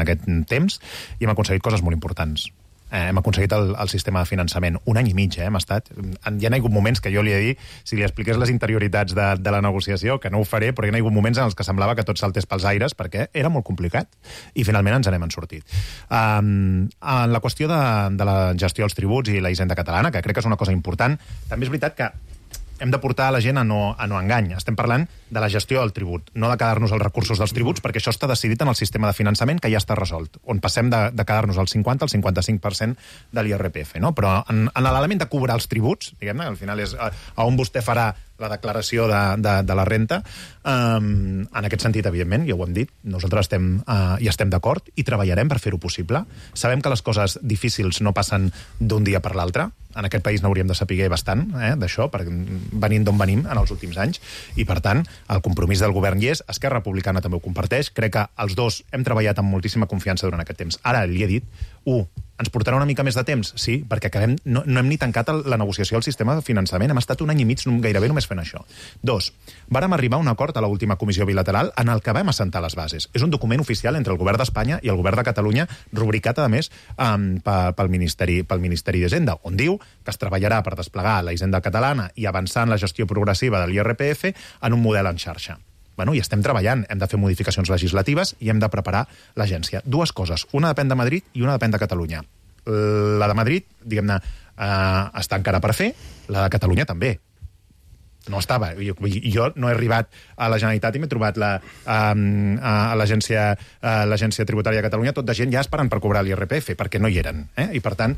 B: aquest temps i hem aconseguit coses molt importants. Hem aconseguit el sistema de finançament. 1 any i mig, hem estat. Hi ha hagut moments que jo li he dit, si li expliqués les interioritats de la negociació, que no ho faré, però hi ha hagut moments en els que semblava que tot saltés pels aires, perquè era molt complicat, i finalment ens n'hem sortit. En la qüestió de la gestió dels tributs i la hisenda catalana, que crec que és una cosa important, també és veritat que hem de portar la gent a no engany. Estem parlant de la gestió del tribut, no de quedar-nos els recursos dels tributs, perquè això està decidit en el sistema de finançament que ja està resolt, on passem de quedar-nos al 50 al 55% de l'IRPF. No? Però en l'element de cobrar els tributs, diguem-ne, al final és on vostè farà la declaració de la renta, en aquest sentit, evidentment, ja ho hem dit, nosaltres hi estem d'acord i treballarem per fer-ho possible. Sabem que les coses difícils no passen d'un dia per l'altre. En aquest país n'hauríem de saber bastant, d'això, venint d'on venim en els últims anys, i per tant, el compromís del govern hi és, Esquerra Republicana també ho comparteix, crec que els dos hem treballat amb moltíssima confiança durant aquest temps. Ara li he dit, ens portarà una mica més de temps? Sí, perquè no hem ni tancat la negociació del sistema de finançament, hem estat 1 any i mig gairebé només fent això. 2, vàrem arribar a un acord a l'última comissió bilateral en el que vam assentar les bases. És un document oficial entre el govern d'Espanya i el govern de Catalunya, rubricat, a més, pel Ministeri d'Hisenda, on diu que es treballarà per desplegar la hisenda catalana i avançar en la gestió progressiva de l'IRPF en un model en xarxa. I estem treballant, hem de fer modificacions legislatives i hem de preparar l'agència. 2 coses, una depèn de Madrid i una depèn de Catalunya. La de Madrid, diguem-ne, està encara per fer, la de Catalunya també. No estava. Jo no he arribat a la Generalitat i m'he trobat a l'Agència Tributària de Catalunya tot de gent ja esperant per cobrar l'IRPF, perquè no hi eren. I, per tant,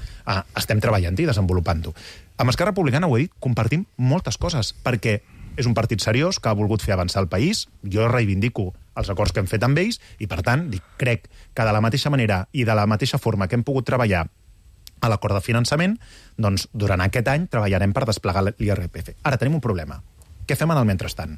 B: estem treballant-hi, desenvolupant-ho. Amb Esquerra Republicana, ho he dit, compartim moltes coses, perquè és un partit seriós que ha volgut fer avançar el país. Jo reivindico els acords que hem fet amb ells i, per tant, crec que de la mateixa manera i de la mateixa forma que hem pogut treballar a l'acord de finançament, doncs durant aquest any treballarem per desplegar l'IRPF. Ara tenim un problema. Què fem en el mentrestant?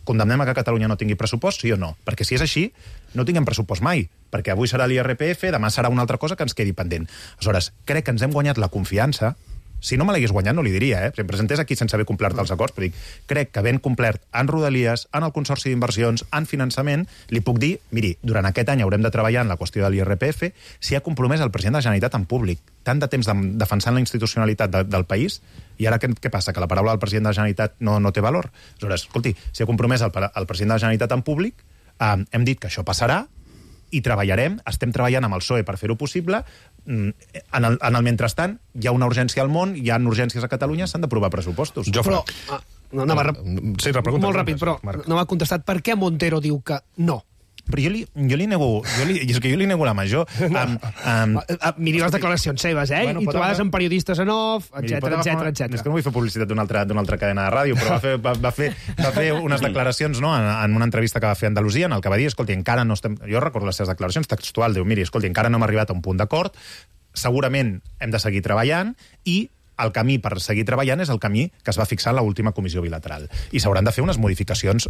B: Condemnem a que Catalunya no tingui pressupost, sí o no? Perquè si és així, no tinguem pressupost mai, perquè avui serà l'IRPF, demà serà una altra cosa que ens quedi pendent. Aleshores, crec que ens hem guanyat la confiança. Si no me l'hagués guanyat no li diria, Si em presentés aquí sense haver complert els acords, però dic, crec que ben complert en Rodalies, en el Consorci d'Inversions, en finançament, li puc dir, miri, durant aquest any haurem de treballar en la qüestió de l'IRPF, si ha compromès el president de la Generalitat en públic, tant de temps defensant la institucionalitat del país, i ara què passa? Que la paraula del president de la Generalitat no té valor? Aleshores, escolti, si ha compromès el president de la Generalitat en públic, hem dit que això passarà, i treballarem, estem treballant amb el PSOE per fer-ho possible. En el mentrestant, hi ha una urgència al món, hi ha urgències a Catalunya, s'han d'aprovar pressupostos.
I: Però, molt ràpid, però no m'ha contestat per què Montero diu que no.
B: Però jo li nego la major.
I: Miri les declaracions seves, i trobades amb periodistes en off, etcètera.
B: És que no vull fer publicitat d'una altra cadena de ràdio, però va fer unes declaracions en una entrevista que va fer a Andalusia, en el que va dir, escolti, encara no estem... Jo recordo les seves declaracions textuals, diu, miri, escolti, encara no hem arribat a un punt d'acord, segurament hem de seguir treballant i el camí per seguir treballant és el camí que es va fixar en l'última comissió bilateral. I s'hauran de fer unes modificacions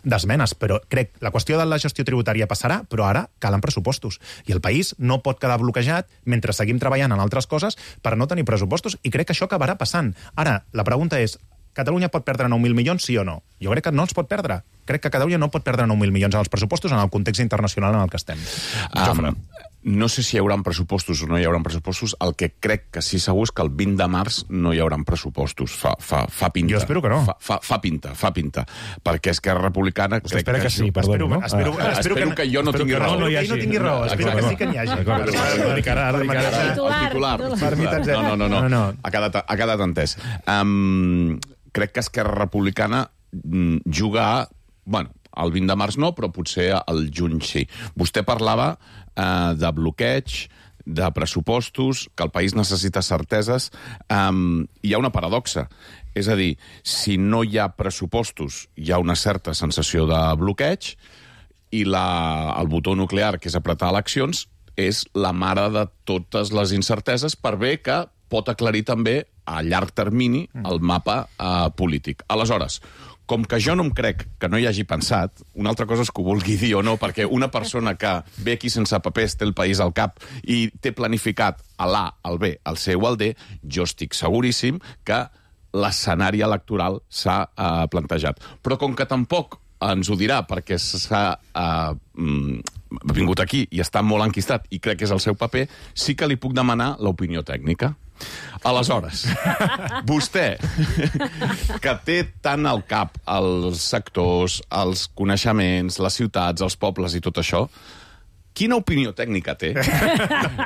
B: d'esmenes, però crec la qüestió de la gestió tributària passarà, però ara calen pressupostos. I el país no pot quedar bloquejat mentre seguim treballant en altres coses per no tenir pressupostos, i crec que això acabarà passant. Ara, la pregunta és, Catalunya pot perdre 9.000 milions, sí o no? Jo crec que no els pot perdre. crec que Catalunya no pot perdre 9.000 milions en els pressupostos en el context internacional en el que estem. Jofre.
M: No sé si hi haurà pressupostos o no hi haurà pressupostos. El que crec que sí segur és que el 20 de març no hi haurà pressupostos. Fa pinta.
B: Jo espero que no.
M: Fa pinta. Perquè Esquerra Republicana...
A: Vostè espera que sí, perdó, no?
M: Espero que jo no tingui raó.
B: No tingui raó. Espero que sí que n'hi hagi.
M: El titular. No. Ha quedat entès. Crec que Esquerra Republicana juga... Bueno, el 20 de març no, però potser el juny sí. Vostè parlava de bloqueig, de pressupostos, que el país necessita certeses. Hi ha una paradoxa. És a dir, si no hi ha pressupostos, hi ha una certa sensació de bloqueig i el botó nuclear, que és apretar eleccions, és la mare de totes les incerteses, per bé que pot aclarir també a llarg termini el mapa polític. Aleshores, com que jo no em crec que no hi hagi pensat, una altra cosa és que ho vulgui dir o no, perquè una persona que ve aquí sense papers té el país al cap i té planificat a l'A, al B, al C o al D, jo estic seguríssim que l'escenari electoral s'ha plantejat. Però com que tampoc ens ho dirà perquè s'ha vingut aquí i està molt enquistat i crec que és el seu paper, sí que li puc demanar l'opinió tècnica. Aleshores, vostè, que té tant al cap els sectors, els coneixements, les ciutats, els pobles i tot això, quina opinió tècnica té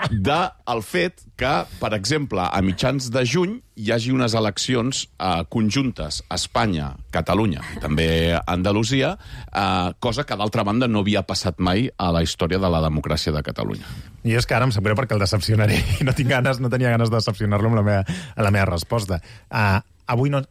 M: del fet que, per exemple, a mitjans de juny hi hagi unes eleccions conjuntes a Espanya, Catalunya i també a Andalusia, cosa que, d'altra banda, no havia passat mai a la història de la democràcia de Catalunya.
B: I és que ara em sap greu perquè el decepcionaré i no tenia ganes de decepcionar-lo amb la meva resposta. Avui no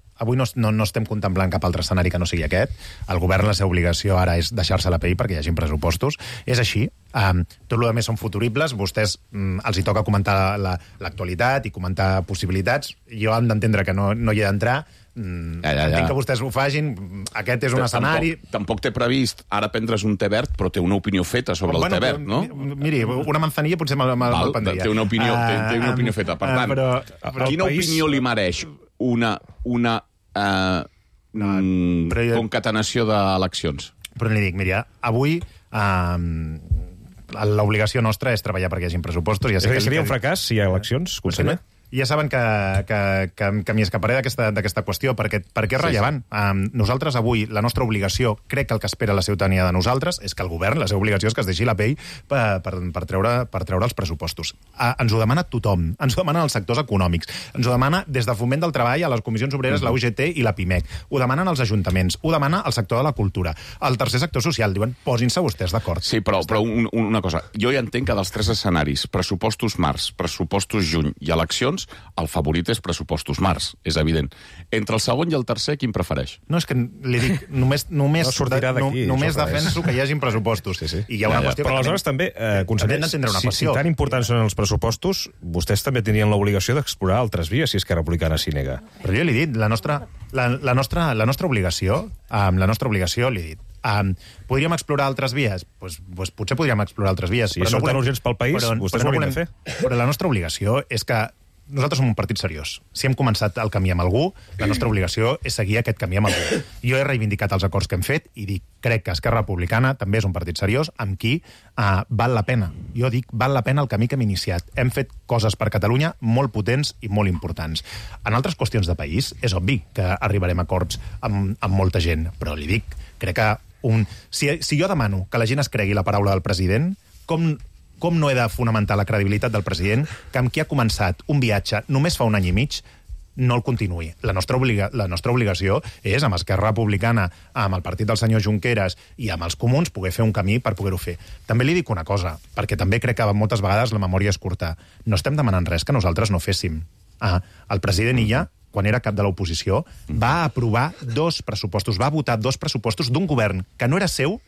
B: estem contemplant cap altre escenari que no sigui aquest. El govern, la seva obligació ara és deixar-se la pell perquè hi hagi pressupostos. És així. Tot el més són futuribles. Vostès els hi toca comentar l'actualitat i comentar possibilitats. Jo hem d'entendre que no hi he d'entrar. Entenc que vostès ho facin. Aquest és un escenari...
M: Tampoc té previst ara prendre's un té verd, però té una opinió feta sobre el té verd, no?
B: Miri, una manzanilla potser me'l prendria.
M: Té una opinió feta. Per tant, quina opinió li mereix una concatenació d'eleccions?
B: Però li dic, mira, avui l'obligació nostra és treballar perquè hi hagi pressupostos.
A: Seria un fracàs si hi ha eleccions, conseller?
B: Ja saben que m'hi escaparé d'aquesta qüestió, perquè és rellevant. Nosaltres avui, la nostra obligació, crec que el que espera la ciutadania de nosaltres, és que el govern, la seva obligació és que es deixi la pell per treure els pressupostos. Ens ho demana tothom, ens ho demanen els sectors econòmics, ens ho demana des de Foment del Treball a les comissions obreres, la UGT i la PIMEC, ho demanen els ajuntaments, ho demana el sector de la cultura, el tercer sector social, diuen, posin-se vostès d'acord.
M: Sí, però una cosa, jo ja entenc que dels tres escenaris, pressupostos març, pressupostos juny i eleccions, el favorit és pressupostos març, és evident. Entre el segon i el tercer, quin prefereix?
B: No, és que li dic, només defenso que hi hagin pressupostos. I hi ha una qüestió...
A: Però aleshores també, conseller, si tan importants són els pressupostos, vostès també tenien l'obligació d'explorar altres vies, si Esquerra Republicana s'hi nega.
B: Però jo li he dit, la nostra obligació, li he dit, podríem explorar altres vies? Pues potser podríem explorar altres vies.
A: Si són tan urgents pel país, vostès ho haurien de fer.
B: Però la nostra obligació és que nosaltres som un partit seriós. Si hem començat el camí amb algú, la nostra obligació és seguir aquest camí amb algú. Jo he reivindicat els acords que hem fet i dic, crec que Esquerra Republicana també és un partit seriós amb qui val la pena. Jo dic, val la pena el camí que hem iniciat. Hem fet coses per Catalunya molt potents i molt importants. En altres qüestions de país és obvi que arribarem a acords amb molta gent, però li dic, crec que si jo demano que la gent es cregui la paraula del president, com no he de fonamentar la credibilitat del president que amb qui ha començat un viatge només fa un any i mig no el continuï. La nostra obligació és, amb Esquerra Republicana, amb el partit del senyor Junqueras i amb els comuns, poder fer un camí per poder-ho fer. També li dic una cosa, perquè també crec que moltes vegades la memòria és curta. No estem demanant res que nosaltres no féssim. El president Illa, quan era cap de l'oposició, va aprovar 2 pressupostos, va votar 2 pressupostos d'un govern que no era seu,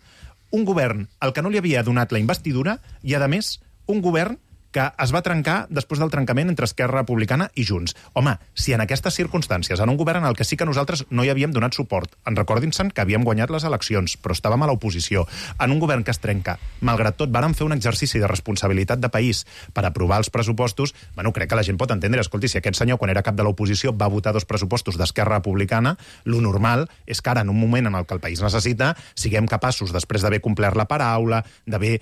B: un govern al que no li havia donat la investidura i, a més, un govern que es va trencar després del trencament entre Esquerra Republicana i Junts. Home, si en aquestes circumstàncies, en un govern en el que sí que nosaltres no hi havíem donat suport, recordin-se'n que havíem guanyat les eleccions, però estàvem a l'oposició, en un govern que es trenca, malgrat tot, vàrem fer un exercici de responsabilitat de país per aprovar els pressupostos, bueno, crec que la gent pot entendre, escolti, si aquest senyor, quan era cap de l'oposició, va votar 2 pressupostos d'Esquerra Republicana, lo normal és que ara, en un moment en el que el país necessita, siguem capaços, després d'haver complert la paraula, d'haver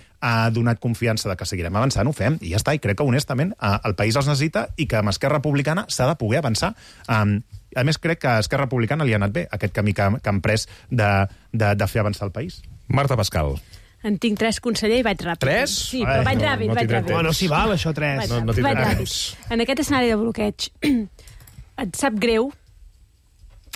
B: donat confiança de que seguirem avançant, ho fem, i ja està, i crec que, honestament, el país els necessita i que amb Esquerra Republicana s'ha de poder avançar. A més, crec que a Esquerra Republicana li ha anat bé aquest camí que han pres de fer avançar el país.
A: Marta Pascal.
N: En tinc 3, conseller, i vaig ràpid.
A: 3?
N: Sí, però vaig ràpid.
I: Bueno, si val, això, 3.
A: No tindré temps.
N: En aquest escenari de bloqueig, et sap greu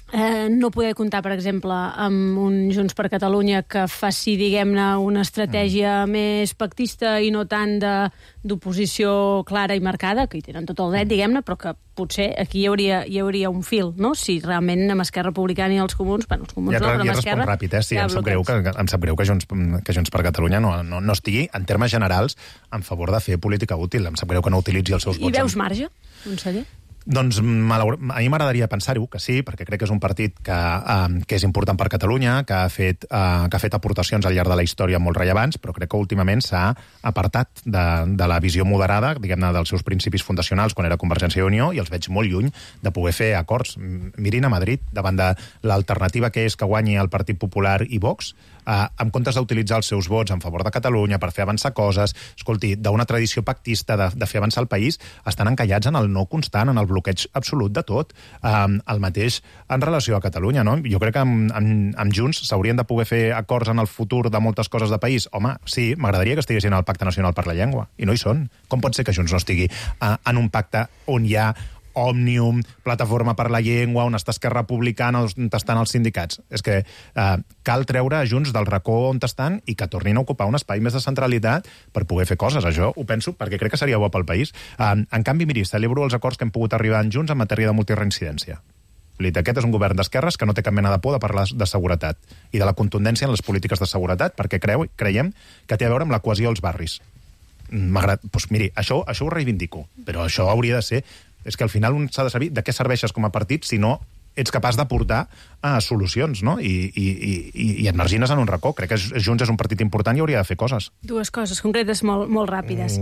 N: no poder comptar, per exemple, amb un Junts per Catalunya que faci, diguem-ne, una estratègia més pactista i no tant d'oposició clara i marcada, que hi tenen tot el dret, diguem-ne, però que potser aquí hi hauria un fil, no? Si realment amb Esquerra Republicana i els comuns, bueno, els comuns no, però amb Esquerra...
B: Ja ràpid, sí, em sap greu que Junts per Catalunya no estigui, en termes generals, en favor de fer política útil. Em sap greu que no utilitzi els seus vots.
N: I veus marge, conseller?
B: Doncs a mi m'agradaria pensar-ho, que sí, perquè crec que és un partit que és important per Catalunya, que ha fet aportacions al llarg de la història molt rellevants, però crec que últimament s'ha apartat de la visió moderada, diguem-ne, dels seus principis fundacionals quan era Convergència i Unió, i els veig molt lluny de poder fer acords. Mirin a Madrid, davant de l'alternativa que és que guanyi el Partit Popular i Vox, en comptes d'utilitzar els seus vots en favor de Catalunya per fer avançar coses, escolti, d'una tradició pactista de fer avançar el país, estan encallats en el no constant, en el bloqueig absolut de tot. El mateix en relació a Catalunya, no? Jo crec que amb Junts s'haurien de poder fer acords en el futur de moltes coses de país. Home, sí, m'agradaria que estiguessin al Pacte Nacional per la Llengua, i no hi són. Com pot ser que Junts no estigui en un pacte on hi ha Òmnium, Plataforma per la Llengua, on està Esquerra Republicana, on estan els sindicats? És que cal treure Junts del racó on estan i que tornin a ocupar un espai més de centralitat per poder fer coses. Això ho penso perquè crec que seria bo pel país. En canvi, miri, celebro els acords que hem pogut arribar en Junts en matèria de multireincidència. Aquest és un govern d'esquerres que no té cap mena de por de parlar de seguretat i de la contundència en les polítiques de seguretat, perquè creiem que té a veure amb la cohesió als barris. Doncs miri, això ho reivindico, però això hauria de ser... És que al final un s'ha de saber de què serveixes com a partit si no ets capaç d'aportar solucions, no? I et margines en un racó. Crec que Junts és un partit important i hauria de fer coses.
N: 2 coses concretes molt ràpides.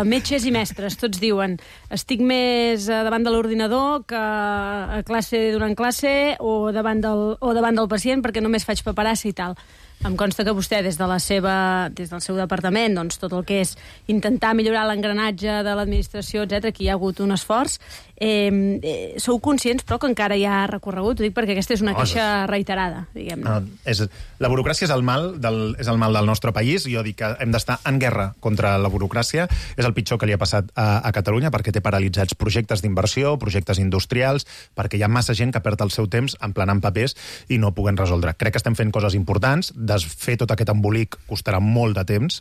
N: Metges i mestres, tots diuen estic més davant de l'ordinador que a classe durant classe o davant del pacient perquè només faig paperassa i tal. Em consta que vostè, des del seu departament, doncs, tot el que és intentar millorar l'engranatge de l'administració, etc, que hi ha hagut un esforç. Sou conscients, però, que encara hi ha recorregut? Ho dic perquè aquesta és una queixa reiterada, diguem-ne.
B: La burocràcia és el mal del nostre país. Jo dic que hem d'estar en guerra contra la burocràcia. És el pitjor que li ha passat a Catalunya, perquè té paralitzats projectes d'inversió, projectes industrials, perquè hi ha massa gent que perd el seu temps emplenant papers i no puguen resoldre. Crec que estem fent coses importants. Desfer tot aquest embolic costarà molt de temps,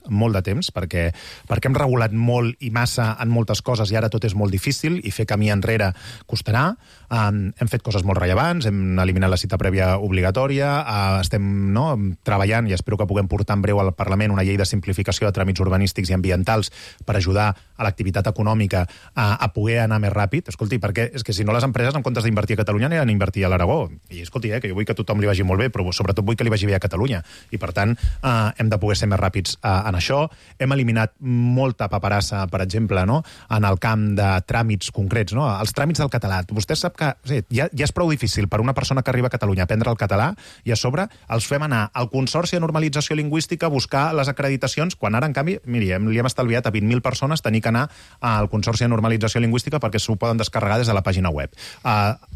B: perquè hem regulat molt i massa en moltes coses i ara tot és molt difícil i fer camí enrere costarà. Hem fet coses molt rellevants, hem eliminat la cita prèvia obligatòria, estem treballant i espero que puguem portar en breu al Parlament una llei de simplificació de tràmits urbanístics i ambientals per ajudar a l'activitat econòmica a poder anar més ràpid. Escolti, perquè és que si no les empreses, en comptes d'invertir a Catalunya, aniran a invertir a l'Aragó. I escolti, que jo vull que a tothom li vagi molt bé, però sobretot vull que li vagi bé a Catalunya. I per tant, hem de poder ser més ràpids en això. Hem eliminat molta paperassa, per exemple, en el camp de tràmits concrets, els tràmits del català. Vostè sap que ja és prou difícil per una persona que arriba a Catalunya a aprendre el català i a sobre els fem anar al Consorci de Normalització Lingüística a buscar les acreditacions, quan ara, en canvi, miri, li hem estalviat a 20.000 persones tenir que anar al Consorci de Normalització Lingüística perquè s'ho poden descarregar des de la pàgina web.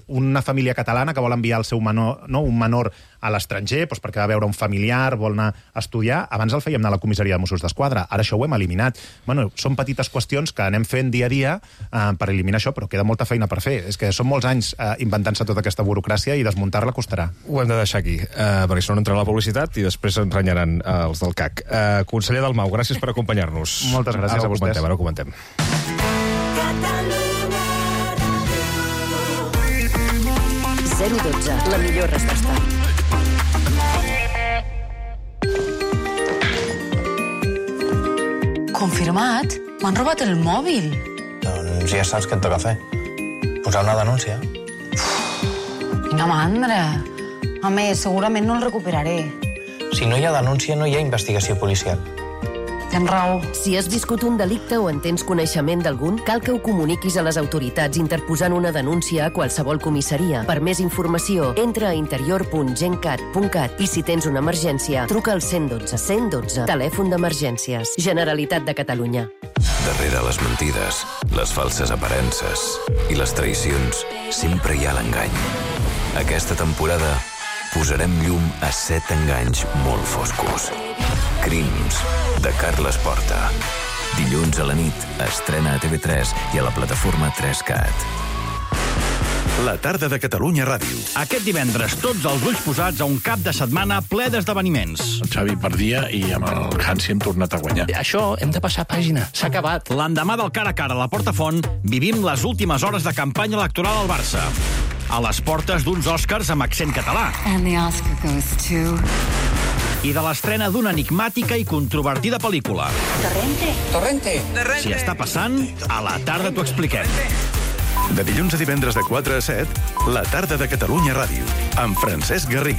B: Una família catalana que vol enviar el seu menor, un menor a l'estranger, perquè va veure un familiar, vol anar a estudiar, abans el fèiem anar a la comissaria de Mossos d'Esquadra, ara això ho hem eliminat. Són petites qüestions que anem fent dia a dia per eliminar això, però queda molta feina per fer. És que són molts anys inventant-se tota aquesta burocràcia i desmuntar-la costarà.
A: Ho hem de deixar aquí, perquè si no entrarà la publicitat i després ens renyaran els del CAC. Conseller Dalmau, gràcies per acompanyar-nos.
B: Moltes gràcies a vostès.
A: Ara ho comentem.
Q: 012, la millor resposta.
E: Confirmat. M'han robat el mòbil.
Q: Doncs ja saps què et toca fer. Posar una denúncia.
E: Quina mandra. A més, segurament no el recuperaré.
Q: Si no hi ha denúncia, no hi ha investigació policial.
E: Tens raó.
J: Si has viscut un delicte o en tens coneixement d'algun, cal que ho comuniquis a les autoritats interposant una denúncia a qualsevol comissaria. Per més informació, entra a interior.gencat.cat i si tens una emergència, truca al 112. 112, telèfon d'emergències. Generalitat de Catalunya.
V: Darrere les mentides, les falses aparences i les traïcions, sempre hi ha l'engany. Aquesta temporada posarem llum a 7 enganys molt foscos. Crims, de Carles Porta. Dilluns a la nit, estrena a TV3 i a la plataforma 3CAT.
X: La tarda de Catalunya Ràdio.
R: Aquest divendres, tots els ulls posats a un cap de setmana ple d'esdeveniments.
S: El Xavi perdia i amb el Hansi hem tornat a guanyar.
R: Això, hem de passar pàgina. S'ha acabat. L'endemà del cara a cara a la Portafont, vivim les últimes hores de campanya electoral al Barça. A les portes d'uns Oscars amb accent català.
T: And the Oscar goes to...
R: I de l'estrena d'una enigmàtica i controvertida pel·lícula.
T: Torrente.
R: Si està passant, a la tarda t'ho expliquem.
X: De dilluns a divendres de 4 a 7, La tarda de Catalunya Ràdio, amb Francesc Garriga.